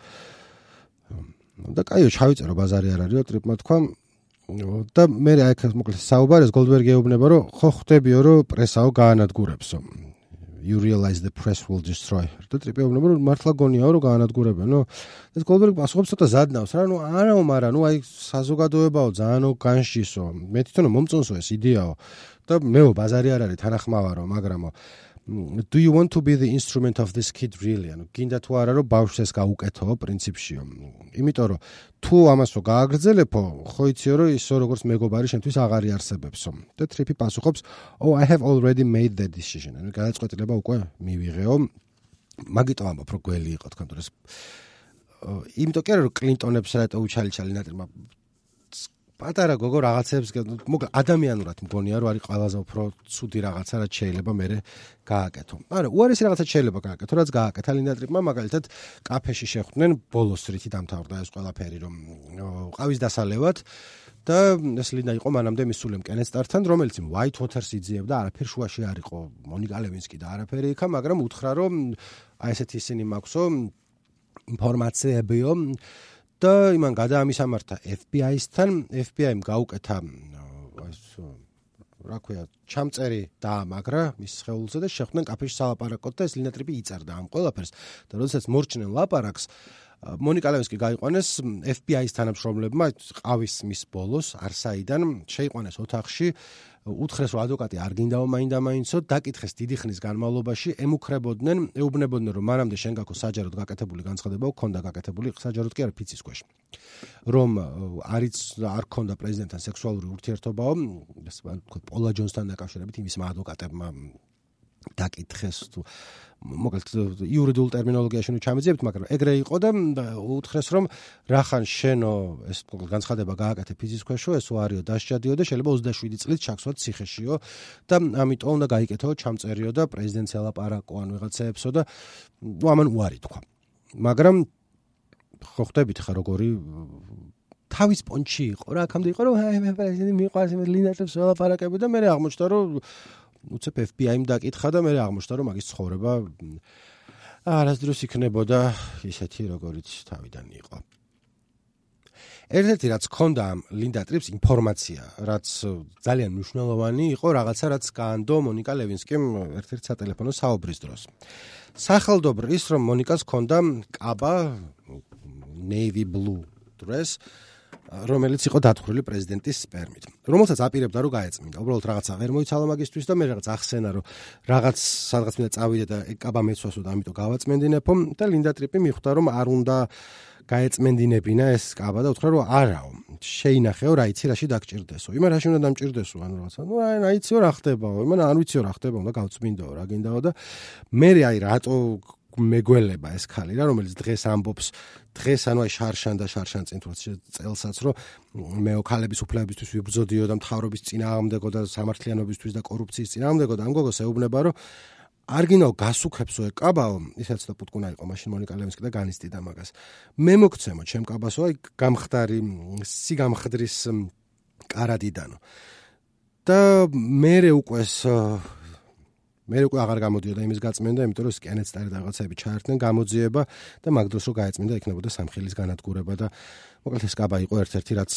და კაიო ჩავიწერო ბაზარი არ არისო, ტრიპმა თქვა და მე აქ მოკლედ საუბარეს გოლდბერგი ეუბნება რომ ხო ხვდებიო რომ პრესაო გაანადგურებსო. you realize the press will destroy. და ტრიპი ეუბნება, რომ მართლა გონიაო, რომ გაანადგურებენო. და გოლდბერგი პასუხობს ცოტა ზადნავს რა, არაო, მაგრამ აი საზოგადოებაო, ძალიანო განშისო. მე თვითონ მომწონსო ეს იდეაო. და მეო ბაზარი არ არის თანახმავარო, მაგრამო do you want to be the instrument of this kid really? ანუ გინდა თუ არა რომ ბავშვს ეს გაუკეთო პრინციპშიო. იმიტომ რომ თუ ამასო გააგრძელებო, ხო იციო რომ ისო როგორც მეგობარი შენთვის აღარ იარსებებსო. და ტრიპი პასუხობს, "Oh, I have already made that decision." ანუ გადაწყვეტილება უკვე მივიღეო. მაგიტო ამბობ რომ გველი იყო თქვენ დროს. იმიტომ კი არა რომ კლინტონებს რატო უჩალიჩალი ნატრმა პატარა გოგო რაღაცებს მოკლედ ადამიანურად მგონია რომ არის ყველაზე უფრო ცუდი რაღაცა რაც შეიძლება მე გააკეთო. არა, უარესი რაღაცა შეიძლება გააკეთო, რაც გააკეთა ლინდატრიპმა, მაგალითად კაფეში შეხვდნენ ბოლოს რითი დამთავრდა ეს ყველაფერი, რომ ყავის დასალევად და ეს ლინდა იყო მანამდე მისული მკენესტართან, რომელიც White Waters იძიებდა, არაფერი შუაში არ იყო, მონიკა ლევინსკი და არაფერი იქა, მაგრამ უთხრა რომ აი ესეთი ისინი მაქვსო ინფორმაციებიო და იმან გადაამისამართა FBI-სთან, FBI-მ გაუკეთა რა ქვია, ჩამწერი დაამაგრა მის სხეულზე და შეხვდნენ კაფეში სალაპარაკოდ და ეს ლინდატრიპი იწერდა ამ ყველაფერს. და როდესაც მორჩნენ ლაპარაკს, მონიკა ლევინსკი გაიყვანეს FBI-ის თანამშრომლებმა ყავის მის ბოლოს არსაიდან შეიყვანეს ოთახში, უთხრეს რომ ადვოკატი არ გინდაო მაინდა-მაინცო, დაკითხეს დიდი ხნის განმავლობაში, ეუბნებოდნენ რომ მანამდე შენ გაქვს საჯაროდ გაკეთებული განცხადება, ქონდა გაკეთებული საჯაროდ კი არა ფიცის ქვეშ. რომ არ ქონდა პრეზიდენტთან სექსუალური ურთიერთობაო, პოლა ჯონსთან დაკავშირებით იმისმა ადვოკატებმა დაკითხეს თუ მოკლედ იურიდიულ ტერმინოლოგიაში ნუ ჩამეძიებთ, მაგრამ ეგრე იყო და უთხრეს რომ რახან შენო ეს განცხადება გააკეთე ფიცის ქვეშო, ეს უარიო დასჯადიო და შეიძლება 27 წლით ჩაქსვათ ციხეშიო და ამიტომ უნდა გაიკეთო ჩამწერიო და პრეზიდენტს ელაპარაკო ან ვიღაცაებსო და ნუ ამან უარი თქვა. მაგრამ ხო ხვდებით ხა როგორი თავის პონჩი იყო რა, აქამდე იყო რომ მე პრეზიდენტი მიყვარს მე ლინდატრიპს ელაპარაკები და მე აღმოჩნდა რომ უცებ FBI-მ დაკითხა და მე აღმოჩნდა რომ მაგის ცხოვრება არასდროს იქნებოდა ისეთი როგორიც თავიდან იყო. ერთ-ერთი რაც ქონდა ლინდატრიპს ინფორმაცია, რაც ძალიან მნიშვნელოვანი იყო, რაღაცა რაც გაანდო მონიკა ლევინსკიმ ერთ-ერთ სატელეფონო საუბრის დროს. სახელდობრ ის რომ მონიკას ქონდა კაბა navy blue dress, რომელიც იყო დათხრილი პრეზიდენტის სპერმით, რომელსაც აპირებდა რომ გაეწმინდა. უბრალოდ რაღაცა ვერ მოიცალა მაგისთვის და მე რაღაც ახსენა რომ რაღაც სადღაც მინდა წავიდე და კაბა მეცვასო და ამიტომ გავაწმენდინებო და ლინდატრიპი მიხვდა რომ არ უნდა გაეწმენდინებინა ეს კაბა და უთხრა რომ არაო, შეინახეო რა იცი რაში დაგჭირდესო. იმან რაში უნდა დამჭირდესო, ანუ რაღაცა. ნუ რა იციო რა ხდებაო, იმან არ ვიციო რა ხდება, უნდა გავწმინდაო რა გინდაო და მე აი რატო მეგველება ეს ხალი რა, რომელიც დღეს ამბობს, დღეს ანუ აი შარშან წინ თუ წელსაც რომ მეო ქალების უფლებისთვის ვიბრძოდიო და მთავრობის წინააღმდეგო და სამართლიანობისთვის და კორუფციის წინააღმდეგო და ამ გოგოს ეუბნება რომ არ გინდაო გასუქებსო ეკაბაო, ისაც და პუტკუნა იყო მაშინ მონიკა ლევინსკი და განისტიდა მაგას. მე მოგცემო ჩემ კაბასო აი გამხდარი სიგამხდრის კარადიდანო. და მე უკვე აღარ გამოდიოდა იმის გაწმენდა, იმიტომ რომ სკენეცტარი და რაღაცები ჩაერთნენ გამოძიება და მაგ დროს რო გაეწმინდა იქნებოდა სამხილის განადგურება და მოკლედ ეს კაბა იყო ერთ-ერთი რაც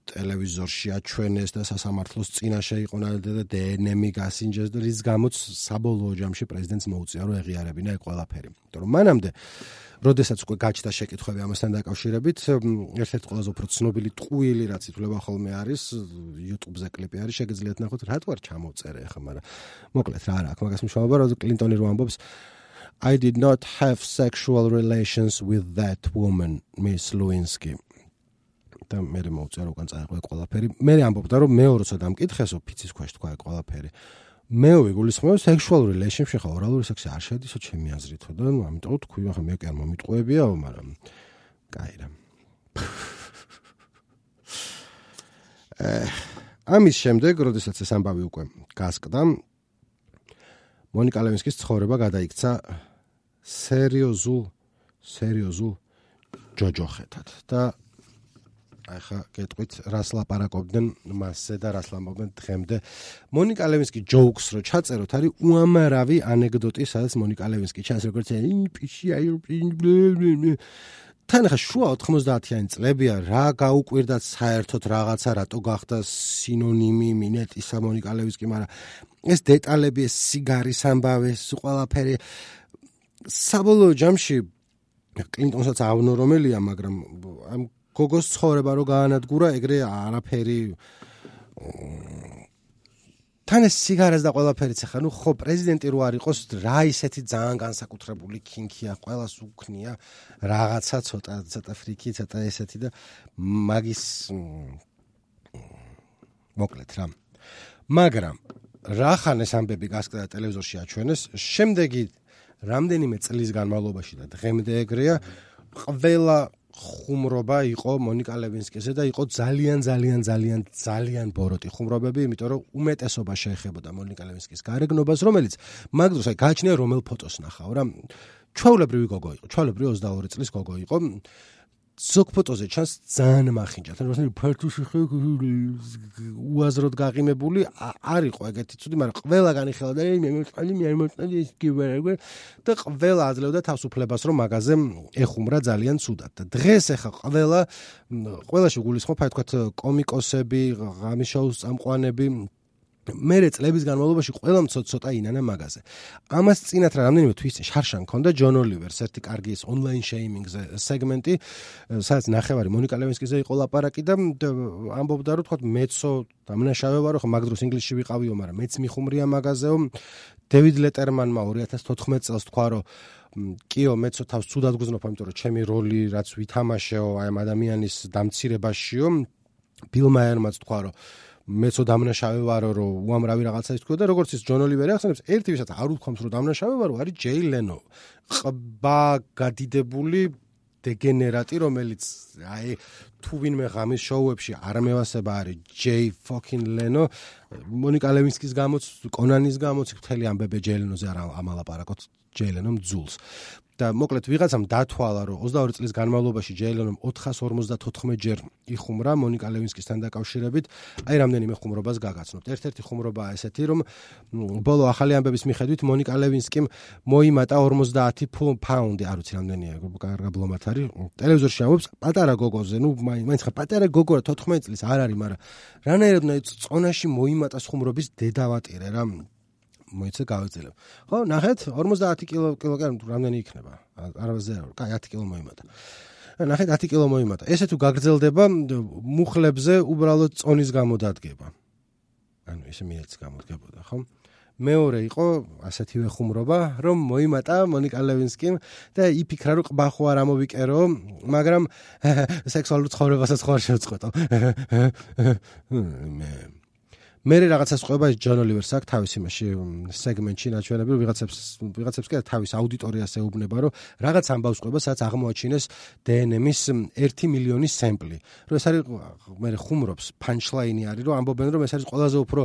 ტელევიზორში აჩვენეს და სასამართლოს წინაშე იყო და დნმ-ი გასინჯეს და რის გამოც საბოლოო ჯამში პრეზიდენტს მოუწია რომ ეღიარებინა ეგ ყველაფერი. იმიტომ რომ მანამდე როდესაც უკვე გაჩნდა შეკითხვები ამასთან დაკავშირებით, ერთ-ერთი ყველაზე უფრო ცნობილი ტყუილი რაც ითვლება ხოლმე არის, YouTube-ზე კლიპი არის, შეგიძლიათ ნახოთ, რატო არ ჩამოვწერე ახლა, მაგრამ მოკლედ რა არა, აქ მაგას მნიშვნელობა, რომ კლინტონი რო ამბობს I did not have sexual relations with that woman, Miss Lewinsky. და მე მოუწია რომ უკან წაეყო ყველაფერი. მე ამბობდა რომ მეორეც დამკითხესო ფიცის ქვეშ თქვა ყველაფერი. მე ვიგულისხმევ sexual relationship ხა ორალური სექსი არ შედისო ჩემი აზრითო და ნუ ამიტომ თქვი ახლა მე კი არ მომიტყუებიაო, მაგრამ კაი რა. ამის შემდეგ, როდესაც ეს ამბავი უკვე გასკდა, მონიკა ლევინსკის ცხოვრება გადაიქცა სერიოზულ ჯოჯოხეთად და ახლა გეტყვით რას ლაპარაკობდნენ მასზე და რას ლამბობდნენ დღემდე. მონიკა ლევინსკი ჯოუქს რო ჩაწეროთ, არის უამრავი ანეკდოტი, სადაც მონიკა ლევინსკი ჩანს როგორც პიში თან ხა შუა 90-იანი წლებია რა გაუკვირდათ საერთოდ რაღაცა რატო გახდა სინონიმი მინეტისა მონიკა ლევინსკი, მაგრამ ეს დეტალები, ეს სიგარის ამბავი, ეს ყველაფერი საბოლოო ჯამში კლინტონსაც ავნო რომელია, მაგრამ ამ გოგოს ცხოვრება რო გაანადგურა, ეგრე არაფერი თან ეს სიგარას და ყველაფერიც ახლა ნუ ხო პრეზიდენტი რო არ იყოს რა ისეთი ძალიან განსაკუთრებული ქინქია, ყველას უქნია რაღაცა ცოტა ფრიკი, ცოტა ესეთი და მაგის მოკლედ რა. მაგრამ რახან ეს ამბები გასკდა და ტელევიზორში აჩვენეს, შემდეგი რამდენიმე წლის განმავლობაში და დღემდე ეგრეა, ყველა ხუმრობა იყო მონიკა ლევინსკიზე და იყო ძალიან ბოროტი ხუმრობები, იმიტომ რომ უმეტესობა შეეხებოდა მონიკა ლევინსკის გარეგნობას, რომელიც მაგ დროს აი გააჩნია რომელ ფოტოს ნახავ რა. ჩვეულებრივი გოგო იყო, ჩვეულებრივი 22 წლის გოგო იყო. ზოგ ფოტოზე ჩანს ძალიან მახინჯა, თან ფართუში უაზროდ გაღიმებული არ იყო ეგეთი ცუდი, მაგრამ ყველა განიხილავდა მე მოწყალი ის გივერაგე და ყველა აძლევდა თავისუფლებას რომ მაგაზე ეხუმრა ძალიან ცუდად. და დღეს ახლა ყველაში გულისხმობ აი თქვათ კომიკოსები, ღამის შოუს წამყვანები მერე წლების განმავლობაში ყველა ცოტა ინანა მაგაზე. ამას წინათ რა რამდენიმე თვის შარშან ქონდა ჯონ ოლივერს ერთი კარგი ის ონლაინ შეიმინგზე სეგმენტი, სადაც ნახევარი მონიკა ლევინსკიზე იყო ლაპარაკი და ამბობდა რომ თქვათ მეცო დამნაშავე ვარო, ხო მაგ დროს ინგლისში ვიყავიო, მაგრამ მეც მიხუმრია მაგაზეო. დევიდ ლეტერმანმა 2014 წელს თქვა რომ კიო მეცო თავს ცუდად გრძნობ, იმიტომ რომ ჩემი როლი რაც ვითამაშეო აი ამ ადამიანის დამცირებაშიო. ბილ მაიერმაც თქვა რომ მეცო დამნაშავე ვარო, რომ უამრავი რაღაცა ის თქვა და როგორც ის ჯონ ოლივერი ახსენებს, ერთი ვისაც არ უთქვამს რომ დამნაშავე ვარო, არის ჯეი ლენო. ყბა გადიდებული დეგენერატი, რომელიც აი თუ ვინმე ღამის შოუებში არ მევასება არის ჯეი ფოკინ ლენო. მონიკა ლევინსკის გამოც, კონანის გამოც მთელი ამბები ჯეი ლენოზე არ ამალაპარაკოთ, ჯეი ლენომ ძულს. და მოკლედ ვიღაცამ დათვალა რომ 22 წლის განმავლობაში ჯეი ლენომ 454 ჯერ იხუმრა მონიკა ლევინსკისთან დაკავშირებით, აი რამდენიმე ხუმრობას გაგაცნობთ. ერთ-ერთი ხუმრობაა ესეთი, რომ ბოლო ახალი ამბების მიხედვით მონიკა ლევინსკიმ მოიმატა 50 პაუნდი, არ ვიცი რამდენია, კარგა ბლომად არის. ტელევიზორში ამბობს პატარა გოგოზე, ნუ მაინც ხა პატარა გოგო რა 14 წლის არ არის, მაგრამ რანაირად წონაში მოიმატა ხუმრობის დედავატირე რა. მოიცა გავეძელებ. ხო, ნახეთ, 50 კილოგრამი რამდენი იქნება? არავაზე არ, კაი 10 კილო მოიმატა. ნახეთ 10 კილო მოიმატა. ესე თუ გაგრძელდება, მუხლებზე უბრალოდ წონის გამო დადგება. ანუ ესე მიეც გამოდგებოდა, ხო? მეორე იყო ასეთივე ხუმრობა, რომ მოიმატა მონიკა ლევინსკიმ და იფიქრა რომ ყბა ხო არ ამოვიკერო, მაგრამ სექსუალურ ცხოვრებასაც ხო არ შევწყვეტო. მე რაღაცას ყვება ის ჯონ ოლივერს აქვს თავის იმაში სეგმენტში ნაჩვენები, ვიღაცებს კი თავის აუდიტორიას ეუბნება, რომ რაღაც ამბავს ყვება, სადაც აღმოაჩინეს დნმ-ის 1 მილიონი სემპლი. რომ ეს არის მე ხუმრობს, პანჩლაინი არის, რომ ამბობენ, რომ ეს არის ყველაზე უფრო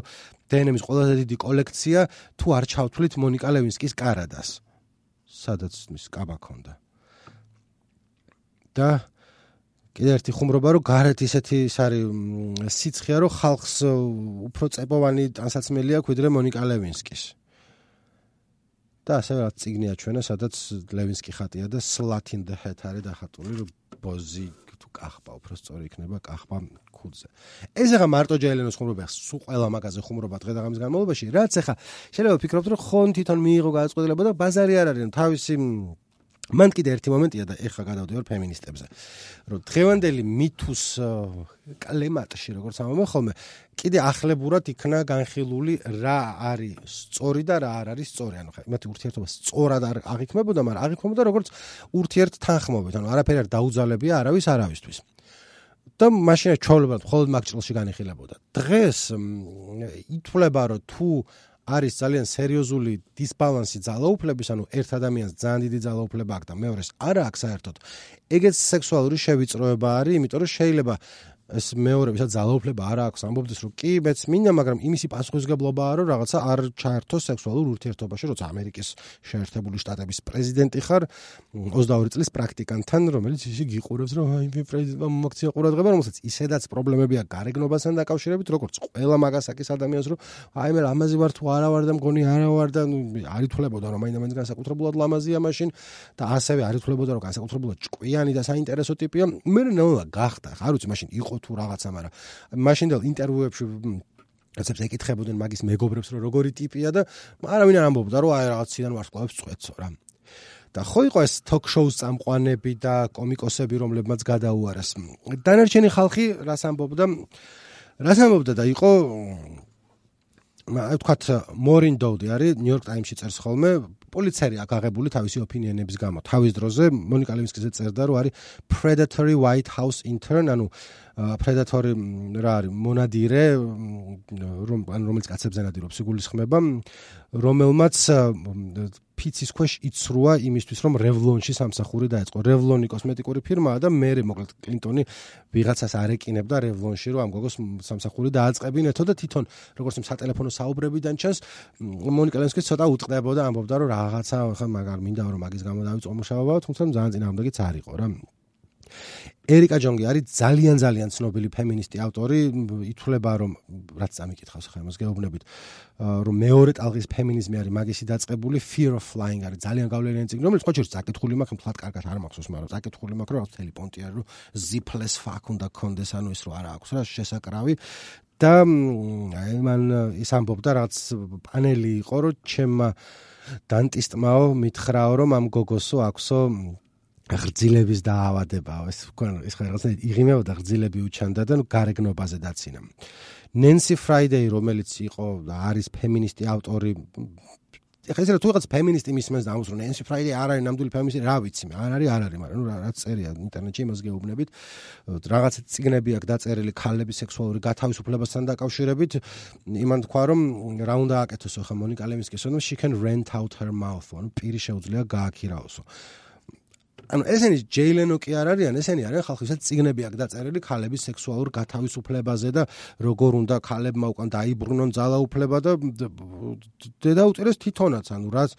დნმ-ის ყველაზე დიდი კოლექცია, თუ არ ჩავთვლით მონიკა ლევინსკის კარადას. სადაც ის კაბა ქონდა. და კიდე ერთი ხუმრობა, რომ გარეთ ისეთი ის არის სიცხეა, რომ ხალხს უფრო წებოვანი ტანსაცმელი აქვს ვიდრე მონიკა ლევინსკის. და ასევე რაც წიგნი აჩვენა, სადაც ლევინსკი ხატია და slut in the hat არის დახატული, რომ ბოზი თუ კახბა უფრო სწორი იქნება, კახბა ქუდზე. ეს ახლა მარტო ჯეი ლენოს ხუმრობა, სულ ყველა მაგაზე ხუმრობა დღე და ღამის განმავლობაში, რაც ახლა შეიძლება ვფიქრობთ, რომ ხონ თვითონ მიიღო გადაწყვეტილება და ბაზარი არ არის, თავისი მან კიდე ერთი მომენტია და ეხლა გადავდივარ ფემინისტებზე, რომ დღევანდელი მითუს კლემატში, როგორც ამბობენ ხოლმე, კიდე ახლებურად იქნა განხილული რა არის სწორი და რა არ არის სწორი. ანუ ხა იმათი ურთიერთობა სწორად არ აღიქმებოდა, მაგრამ აღიქმებოდა როგორც ურთიერთ თანხმობით, ანუ არაფერი არ დაუძალებია არავისთვის. და მაშინ ჩვეულებრივად მხოლოდ მაგ ჭრილში განიხილებოდა. დღეს ითვლება, რომ თუ არის ძალიან სერიოზული დისბალანსი ძალაუფლების, ანუ ერთ ადამიანს ძალიან დიდი ძალაუფლება აქვს და მეორეს არა აქვს საერთოდ. ეგეც სექსუალური შევიწროება არის, იმიტომ რომ შეიძლება ეს მეორე ვისაც ძალაუფლება არ აქვს ამბობდეს რომ კი მეც მინდა მაგრამ იმისი პასუხისგებლობაა რომ რაღაცა არ ჩაერთოს სექსუალურ ურთიერთობაში როცა ამერიკის შეერთებული შტატების პრეზიდენტი ხარ 22 წლის პრაქტიკანტთან რომელიც ისე გიყურებს რომ აი პრეზიდენტმა მომაქცია ყურადღება რომელსაც ისედაც პრობლემები აქვს გარეგნობასთან დაკავშირებით როგორც ყველა მაგასაკის ადამიანს რომ აი მე ლამაზი ვარ თუ არა ვარ და მგონი არა ვარ და არ ითვლებოდა რომ მაინდა განსაკუთრებულად ლამაზია მაშინ და ასევე არ ითვლებოდა რომ განსაკუთრებულად ჭკვიანი და საინტერესო ტიპია მე ნელა გახდა არ ვიცი მაშინ იყო თუ რაღაცა მაგრამ მაშინდელ ინტერვიუებში რაცებს ეკითხებოდნენ მაგის მეგობრებს რომ როგორი ტიპია და არავინ არ ამბობდა რომ აი რაღაციდან ვარსკვლავებს წვეთსო რა და ხო იყო ეს თოქ-შოუს წამყვანები და კომიკოსები რომლებმაც გადაუარეს დანარჩენი ხალხი რას ამბობდა და იყო ვთქვათ მორინ დოუდი არის ნიუ-იორკ ტაიმსში წერს ხოლმე პოლიციერი აგაღებული თავისი ოპინიონების გამო თავის დროზე მონიკა ლევინსკიზე წერდა რომ არის predatory white house intern ანუ predatory რა არის მონადირე რომელიც კაცებზე ნადირობს იგულისხმება რომელმაც ფიცის ქვეშ იცრუა იმისთვის რომ რევლონში სამსახური დაეწყო რევლონი კოსმეტიკური ფირმაა და მე მოკლედ კლინტონი ვიღაცას არ ეკინებდა რევლონში რომ ამ გოგოს სამსახური დააწყებინეთო და თვითონ როგორც იმ სატელეფონო საუბრებიდან ჩანს მონიკა ლევინსკი ცოტა უტყდებოდა ამბობდა რომ რაღაცა ხა მაგარ მინდა რომ მაგის გამო დავიწყო მუშაობა თუმცა ძალიან წინააღმდეგიც არ იყო რა ერიკა ჯონგი არის ძალიან ცნობილი ფემინისტი ავტორი ითვლება რომ რაც წამიკითხავს ხა იმას გეუბნებით რომ მეორე ტალღის ფემინიზმი არის მაგისი დაწყებული fear of flying არის ძალიან გავლენიანი წიგნი რომელიც ყოველთვის წაკითხული მაქვს მთლად კარგად არ მახსოვს მაგრამ წაკითხული მაქვს რომ თელი პონტი არის რომ zipless fuck უნდა კონდეს ანუ ის რო არა აქვს რა შესაკრავი და მან ის ამბობდა რაღაც პანელი იყო რომ ჩემმა დანტისტმაო მითხრაო რომ ამ გოგოსო აქვსო ღრძილების დაავადებაა ეს ხა რაღაცა იღიმეოდა ღრძილები უჩანდა და გარეგნობაზე დაცინა ნენსი ფრაიდეი რომელიც იყო და არის ფემინისტი ავტორი ეხლა ისე თუ რაღაც ფემინისტი მისმენს და ამბობს რომ ნენსი ფრაიდეი არ არის ნამდვილი ფემინისტი რა ვიცი მე არ არის მაგრამ ნუ რაც წერია ინტერნეტში იმას გეუბნებით რაღაც წიგნები აქვს დაწერილი ქალების სექსუალური გათავისუფლებასთან დაკავშირებით იმან თქვა რომ რა უნდა აკეთოს ხა მონიკა ლევინსკის რომ she can rent out her mouth ანუ პირი შეუძლია გააქირაოსო ანუ ესენი ჯეილენო კი არ არიან, ესენი არიან ხალხისაც წიგნები აქვს დაწერილი ქალების სექსუალურ გათავისუფლებაზე და როგორ უნდა ქალებმა უკან დაიბრუნონ ძალაუფლება და დედაუწირეს თვითონაც, ანუ რაც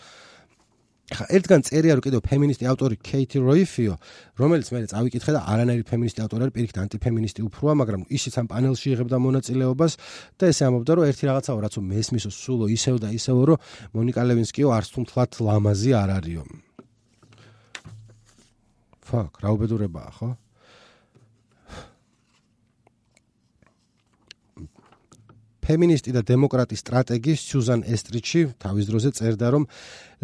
ხა ერთგან წერია რომ კიდევ ფემინისტი ავტორი კეითი როიფიო, რომელიც მე წავიკითხე და არანაირი ფემინისტი ავტორი არის, პირიქით ანტიფემინისტი უფროა, მაგრამ ისიც ამ პანელში იღებდა მონაწილეობას და ესე ამბობდა რომ ერთი რაღაცაო რაც მესმისო სულო ისევ და ისევ რომ მონიკა ლევინსკიო არც თუ მთლად ლამაზი არ არისო. ფაკ, რა უბედურებაა, ხო? ფემინისტი და დემოკრატი სტრატეგი სიუზან ესტრიჩი თავის დროზე წერდა რომ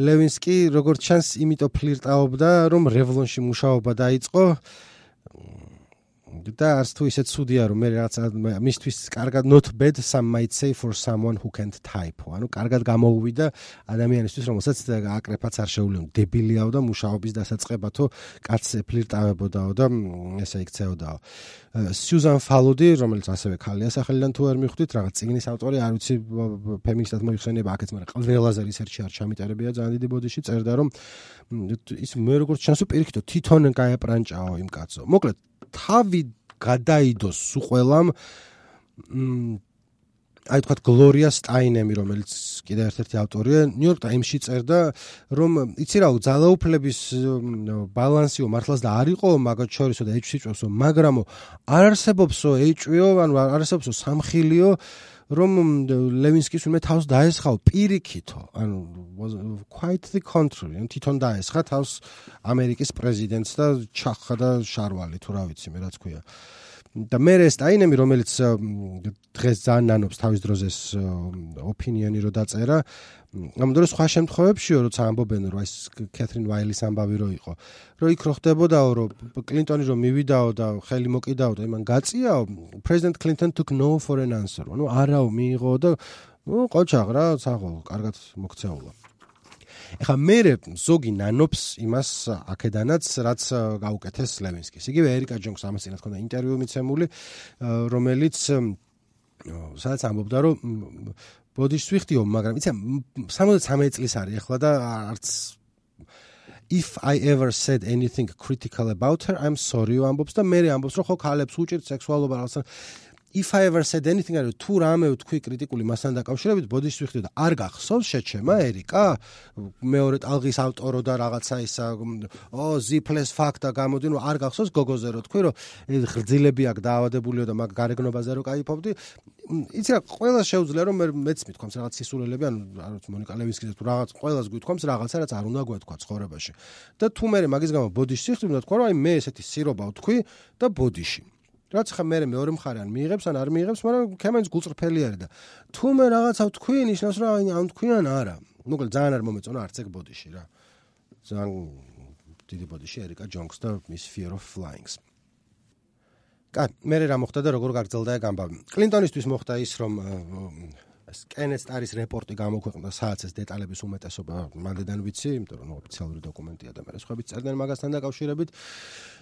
ლევინსკი როგორც ჩანს იმიტომ ფლირტაობდა რომ რევლონში მუშაობა დაიწყო და არც თუ ისე ცუდია რომ მე რაღაცა მისთვის კარგად not bad some might say for someone who can't type ანუ კარგად გამოუვიდა ადამიანისთვის რომელსაც აკრეფაც არ შეუძლია დებილიაო და მუშაობის დასაწყებათო კაცს ფლირტავებოდაო და ესე იქცეოდაო სიუზან ფალუდი რომელიც ასევე ქალია სახელიდან თუ არ მიხვდით რაღაც წიგნის ავტორი არ ვიცი ფემინისტად მოიხსენება აქეთ მაგრამ ყველაზე რისერჩი არ ჩამიტარებია ძალიან დიდი ბოდიში წერდა რომ ის მე როგორც ჩანს პირიქითო თვითონ გაეპრანჭაო იმ კაცო მოკლედ თავი გადაიდოს სუყველამ აი თქვა გლორია სტაინემი რომელიც კიდევ ერთ-ერთი ავტორია ნიუ-იორკ ტაიმსში წერდა რომ იცი რა ძალაუფლების ბალანსიო მართლაც და არ იყო მაგათ შორისო და ეჭვსიწვევსო მაგრამო არ არსებობსო ეჭვიო ანუ არ არსებობსო სამხილიო რომ ლევინსკის უმე თავს დაესხავ პირიქითო ანუ quite the contrary ან თვითონ დაესხა თავს ამერიკის პრეზიდენტს და ჩახა და შარვალი თუ რა ვიცი მე რაც ქვია და მე სტაინემი რომელიც დღეს ძალიან ნანობს თავის დროზე ოპინიონი რო დაწერა ამ დროს სხვა შემთხვევებშიო როცა ამბობენ რომ ეს კეთრინ ვაილის ამბავი რო იყო რომ იქ რო ხდებოდაო რომ კლინტონი რომ მივიდაო და ხელი მოკიდაო და იმან გაწიაო president clinton took no for an answer ანუ არაო მიიღო და ყოჩაღ რა საღო კარგად მოქცეულა ეხა მე ზოგი ნანობს იმას აქედანაც რაც გაუკეთეს ლევინსკის იგივე ერიკა ჯონგს ამას წინათ ქონდა ინტერვიუ მიცემული რომელიც სადაც ამბობდა რომ ბოდიშს ვიხდიო მაგრამ იცი 73 წლის არის ახლა და არც if I ever said anything critical about her, I'm sorry ამბობს და მე ამბობს რომ ხო ქალებს უჭირთ სექსუალობა რაღაცა if I ever said anything არის თუ რამე ვთქვი კრიტიკული მასთან დაკავშირებით ბოდიშს ვიხდი და არ გახსოვს შეჩემა ერიკა მეორე ტალღის ავტორო და რაღაცა ისა ზიფლეს ფაქტა გამოდი რომ არ გახსოვს გოგოზე რო თქვი რომ ღრძილები აქ დაავადებულიო და მაგ გარეგნობაზე რო кайფობდი იცი რა ყველა შეუძლია რომ მეც მithქვამს რაღაც სისულელები ანუ არ ვიცი მონიკა ლევინსკიზე თუ რაღაც ყველას გვითქვამს რაღაცა რაც არ უნდა გვეთქვა ცხოვრებაში და თუ მე მაგის გამო ბოდიშს ვიხდი უნდა თქვა რომ აი მე ესეთი სირობა ვთქვი და ბოდიში რაც ხა მე მეორე მხარე ან მიიღებს ან არ მიიღებს, მაგრამ ქემენს გულწრფელი არის და თუ მე რაღაცა ვთქვი, ნიშნავს რომ ან თქვი ან არა. მოკლედ ძალიან არ მომეწონა არც ეგ ბოდიში რა. ძალიან დიდი ბოდიში ერიკა ჯონგს და მის Fear of Flying-ს. კაი, მე რა მოხდა და როგორ გაგრძელდა ეგ ამბავი. კლინტონისთვის მოხდა ის რომ კენეთ სტარის რეპორტი გამოქვეყნდა, სადაც ეს დეტალების უმეტესობა მანდედან ვიცი, იმიტომ რომ ოფიციალური დოკუმენტია და მე სხვაებიც წერდნენ მაგასთან დაკავშირებით.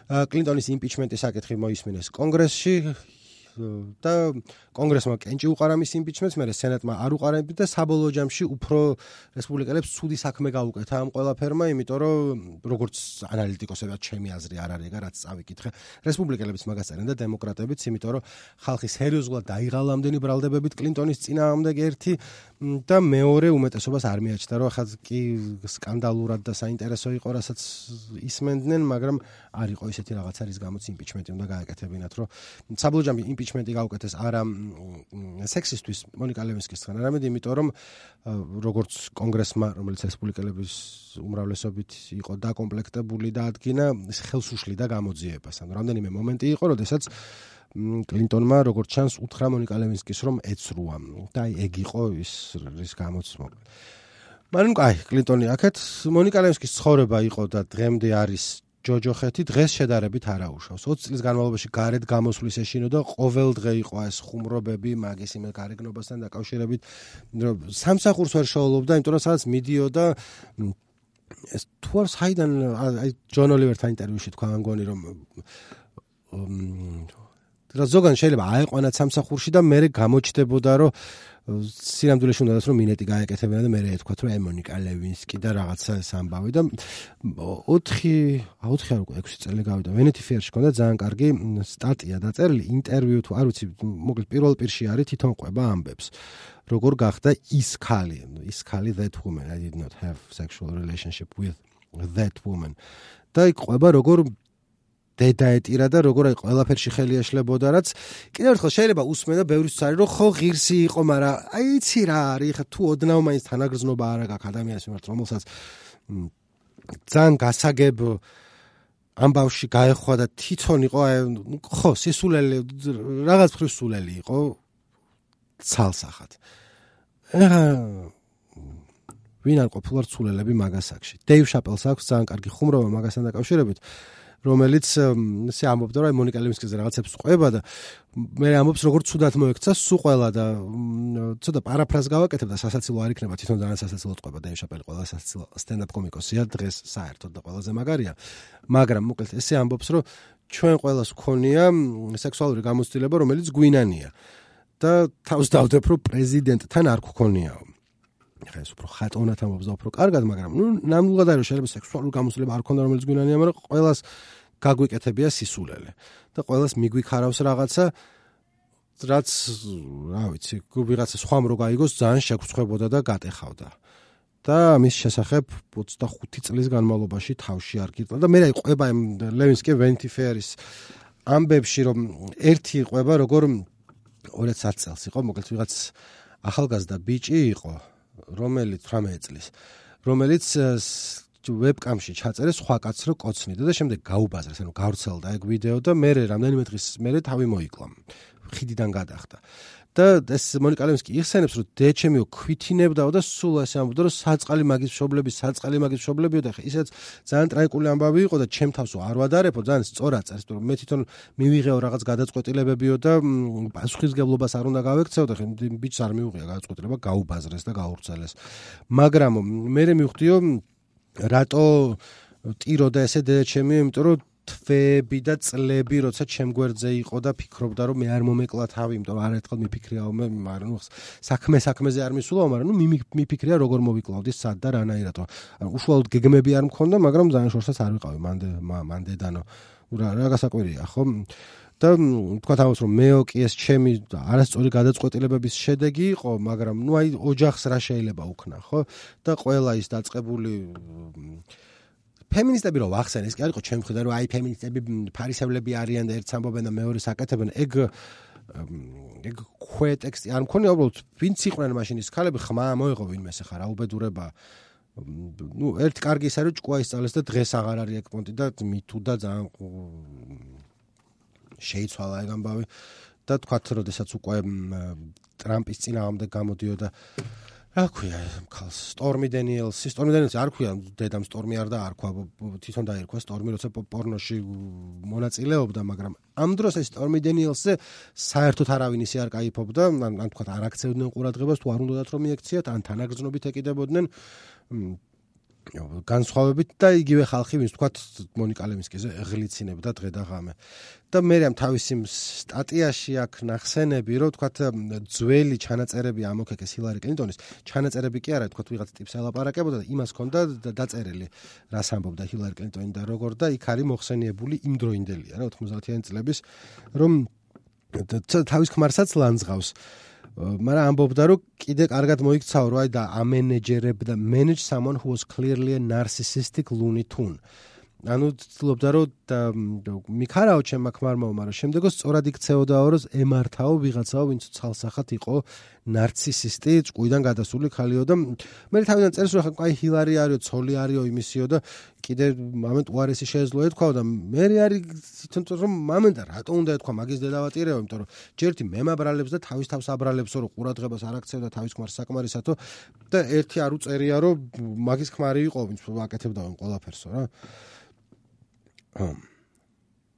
კლინტონის იმპიჩმენტის საკითხი მოისმინეს კონგრესში და კონგრესმა კენჭი უყარა მის იმპიჩმენტს, მე სენატმა არ უყარა და საბოლოო ჯამში უფრო რესპუბლიკელებს ცუდი საქმე გაუკეთა ამ ყველაფერმა, იმიტომ რომ როგორც ანალიტიკოსებად ჩემი აზრი არ არის ეგ რაც წავიკითხე. რესპუბლიკელებიც მაგას წერენ და დემოკრატებიც, იმიტომ რომ ხალხი სერიოზულად დაიღალა ამდენი ბრალდებებით კლინტონის წინააღმდეგ ერთი და მეორე უმეტესობას არ მიაჩნდა რომ ახლა კი სკანდალურად და საინტერესო იყო რასაც ისმენდნენ, მაგრამ არ იყო ისეთი რაღაცა რის გამოც იმპიჩმენტი უნდა გააკეთებინათ, რომ საბოლოო ჯამში იმპიჩმენტი გაუკეთეს არა სექსისტვის მონიკა ლევინსკისგან, არამედ იმიტომ რომ როგორც კონგრესმა, რომელიც რესპუბლიკელების უმრავლესობით იყო დაკომპლექტებული და ადგინა ხელსუშლი და გამოძიებას. ანუ რამდენიმე მომენტი იყო, როდესაც კლინტონმა როგორც ჩანს უთხრა მონიკა ლევინსკის რომ ეცრუა და აი ეგ იყო ის რის გამოც მაგრამ აი კლინტონი აქეთ მონიკა ლევინსკის ცხოვრება იყო და დღემდე არის ჯოჯოხეთი დღეს შედარებით არაუშავს 20 წლის განმავლობაში გარეთ გამოსვლის ეშინო და ყოველ დღე იყო ეს ხუმრობები მაგის იმ გარეგნობასთან დაკავშირებით რომ სამსახურს ვერ შეოლობდა იმიტომ რომ სადაც მიდიოდა ეს თუ არ საიდან აი ჯონ ოლივერთან ინტერვიუში თქვა ამგონი რომ ზოგან შეიძლება აეყვანათ სამსახურში და მე გამოჩნდებოდა რომ სინამდვილეში უნდათ რომ მინეტი გაეკეთებინა და მე ეთქვათ რომ მონიკა ლევინსკი და რაღაცა ეს ამბავი და 4 არ უკვე 6 წელი გავიდა Vanity Fair-ში ქონდა ძალიან კარგი სტატია დაწერილი ინტერვიუ თუ არ ვიცი მოკლედ პირველ პირში არის თვითონ ყვება ამბებს როგორ გახდა ის ქალი that woman I did not have sexual relationship with that woman და იქ ყვება როგორ დედაეტირა და როგორ აი ყველაფერში ხელი ეშლებოდა რაც კიდევ ერთხელ შეიძლება უსმენ და ბევრისთვის არის რომ ხო ღირსი იყო მაგრამ აი იცი რა არის ხა თუ ოდნავ მაინც თანაგრძნობა არ აქვს ადამიანის მიმართ რომელსაც ძალიან გასაგებ ამბავში გაეხვა და თვითონ იყო აი ხო სისულელი რაღაც მხრივ სულელი იყო ცალსახად ვინ არ ყოფილვარ სულელები მაგასაკში დეივ შაპელს აქვს ძალიან კარგი ხუმრობა მაგასთან დაკავშირებით რომელიც ესე ამბობდა რომ მონიკა ლევინსკიზე რაღაცებს ყვება და მე ამბობს როგორც ცუდად მოექცა სულ ყველა და ცოტა პარაფრაზ გავაკეთებ და სასაცილო არ იქნება თვითონ ძალიან სასაცილოდ ყვება და შაპელი ყველა სასაცილო სტენდაპ კომიკოსია დღეს საერთოდ და ყველაზე მაგარია მაგრამ მოკლედ ესე ამბობს რომ ჩვენ ყველას გქონია სექსუალური გამოცდილება რომელიც გვინანია და თავს დავდებ რომ პრეზიდენტთან არ გქონიაო ხა ეს უფრო ხატონად ამბობს და უფრო კარგად, მაგრამ ნამდვილად არის შეიძლება სექსუალური გამოცდილება არ ქონდა რომელიც გვინანია, მაგრამ ყველას გაგვიკეთებია სისულელე და ყველას მიგვიქარავს რაღაცა რაც რა ვიცი, ვიღაცა სხვა რო გაიგოს ძალიან შეგწხვებოდა და გატეხავდა. და მის შესახებ 25 წლის განმავლობაში თავში არ გიტყვა და მე რა იყვება ლევინსკი Vanity Fair-ის ამბებში რომ ერთი იყვება როგორ 2010 წელს იყო, მოკლედ ვიღაც ახალგაზრდა ბიჭი იყო რომელიც 18 წლის რომელიც ვებკამში ჩაწერეს სხვა კაცს რო კოცნიდა და შემდეგ გაუბაზრეს ანუ გავრცელდა ეგ ვიდეო და მე რამდენიმე დღის მერე თავი მოიკლა ხიდიდან გადახდა და ეს მონიკა ლევინსკი იხსენებს რომ დეჩემიო ქვითინებდაო და სულ ასე ამბობდა რომ საწყალი მაგის მშობლებიო და ისეც ძალიან ტრაგიკული ამბავი იყო და ჩემ თავსო არ ვადარებო ძალიან სწორად წერს რომ მე თვითონ მივიღეო რაღაც გადაწყვეტილებებიო და პასუხისგებლობას არ უნდა გავექცეო და ბიჭს არ მიუღია გადაწყვეტილება გაუბაზრეს და გაურცელეს მაგრამ მე მივხვდიო რატო ტიროდა ესე დედაჩემიო იმიტომ რომ თვეები და წლები, როცა ჩემ გვერდზე იყო და ფიქრობდა, რომ მე არ მომეკლა თავი, იმიტომ რომ არაერთხელ მიფიქრიაო მე, მაგრამ საქმეზე არ მისულაო, მაგრამ მიფიქრია როგორ მოვიკლავდი სად და რანაირად. უშუალოდ გეგმები არ მქონდა, მაგრამ ძალიან შორსაც არ ვიყავი მანდედანო. რა გასაკვირია, ხო? და თქვათ ამას რომ მეო კი ეს ჩემი არასწორი გადაწყვეტილებების შედეგი იყო, მაგრამ აი ოჯახს რა შეიძლება უქნა, ხო? და ყველა ის დაწყებული ფემინისტები რო ვახსენე, ეს კი არ იყო ჩემი მხრიდან, რომ აი ფემინისტები ფარისევლები არიან და ერთს ამბობენ და მეორეს აკეთებენ, ეგ ქვეტექსტი არ მქონია, უბრალოდ ვინც იყვნენ მაშინ ის ქალები, ხმა მოეღო ვინმეს ახლა რა უბედურება. ერთი კარგი ის არის, ჭკუა ისწავლეს და დღეს აღარ არის ეგ პონტი და მითუ და ძალიან შეიცვალა ეგ ამბავი და თქვათ, როდესაც უკვე ტრამპის წინააღმდეგ გამოდიოდა რა ქვია ქალს სტორმი დენიელსი არ ქვია დედამ სტორმი არ და არ ქვა თვითონ დაირქვა სტორმი როცა პორნოში მონაწილეობდა, მაგრამ ამ დროს ეს სტორმი დენიელსზე საერთოდ არავინ ისე არ кайფობდა, ან თქვათ არ აქცევდნენ ყურადღებას, თუ არ უნდათ რომ მიექციათ, ან თანაგრძნობით ეკიდებოდნენ განსხვავებით და იგივე ხალხი, ვინც თქვათ მონიკა ლევინსკიზე ღლიცინებდა დღე და ღამე. და მე ამ თავისი სტატიაში აქ ნახსენები, რომ თქვათ ძველი ჩანაწერები ამოქეკეს ჰილარი კლინტონის, ჩანაწერები კი არა, თქვათ ვიღაც ტიპს ელაპარაკებოდა და იმას ჰქონდა დაწერილი, რას ამბობდა ჰილარი კლინტონი და როგორ და იქ არის მოხსენიებული იმდროინდელია რა 90-იანი წლების, რომ თავის ქმარსაც ლანძღავს. მაგრამ ამბობდა, რომ კიდე კარგად მოიქცაო, რომ აი და ამენეჯერებდა manage someone who was clearly a narcissistic Looney Tune. ანუ ცდილობდა, რომ მიქარაო ჩემმა ქმარმაო, მაგრამ შემდეგო სწორად იქცეოდაო, რომ ემართაო ვიღაცაო, ვინც ცალსახად იყო ნარცისისტი, ჭკუიდან გადასული ქალიო და მე თავიდან წერს, რომ აი ჰილარი არისო, ცოლი არისო, იმისიო და კიდე მომენტ უარესი შეეძლო ეთქვაო და მე არის თვითონ რომ მომენტა რატო უნდა ეთქვა მაგის დედავატირეო, იმიტომ რომ ჯერთი მემაბრალებს და თავის თავს აბრალებსო, რომ ყურადღებას არ აქცევდა თავის ქმარს საკმარისათო და ერთი არ უწერია, რომ მაგის ქმარი იყო, ვინც აკეთებდა ყველაფერსო რა.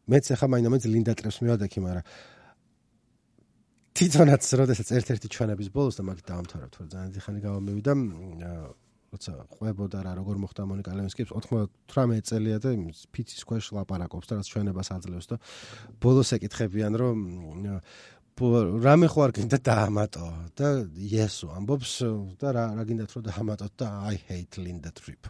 მეც ახლა მაინც ლინდა ტრებს მივადექი, მაგრამ თვითონაც როდესაც ერთ-ერთი ჩვენების ბოლოს და მაგით დავამთავრებთ, რომ ძალიან დიხანი გავამევიდა, როცა ყვებოდა რა როგორ მოხდა მონიკა ლევინსკის 98 წელია და ფიცის ქვეშ ლაპარაკობს და რაც ჩვენებას აძლევს და ბოლოს ეკითხებიან, რომ რამე ხო არ გინდა დაამატო და იესო ამბობს და რა გინდათ რომ დაამატოთ და I hate Linda Tripp.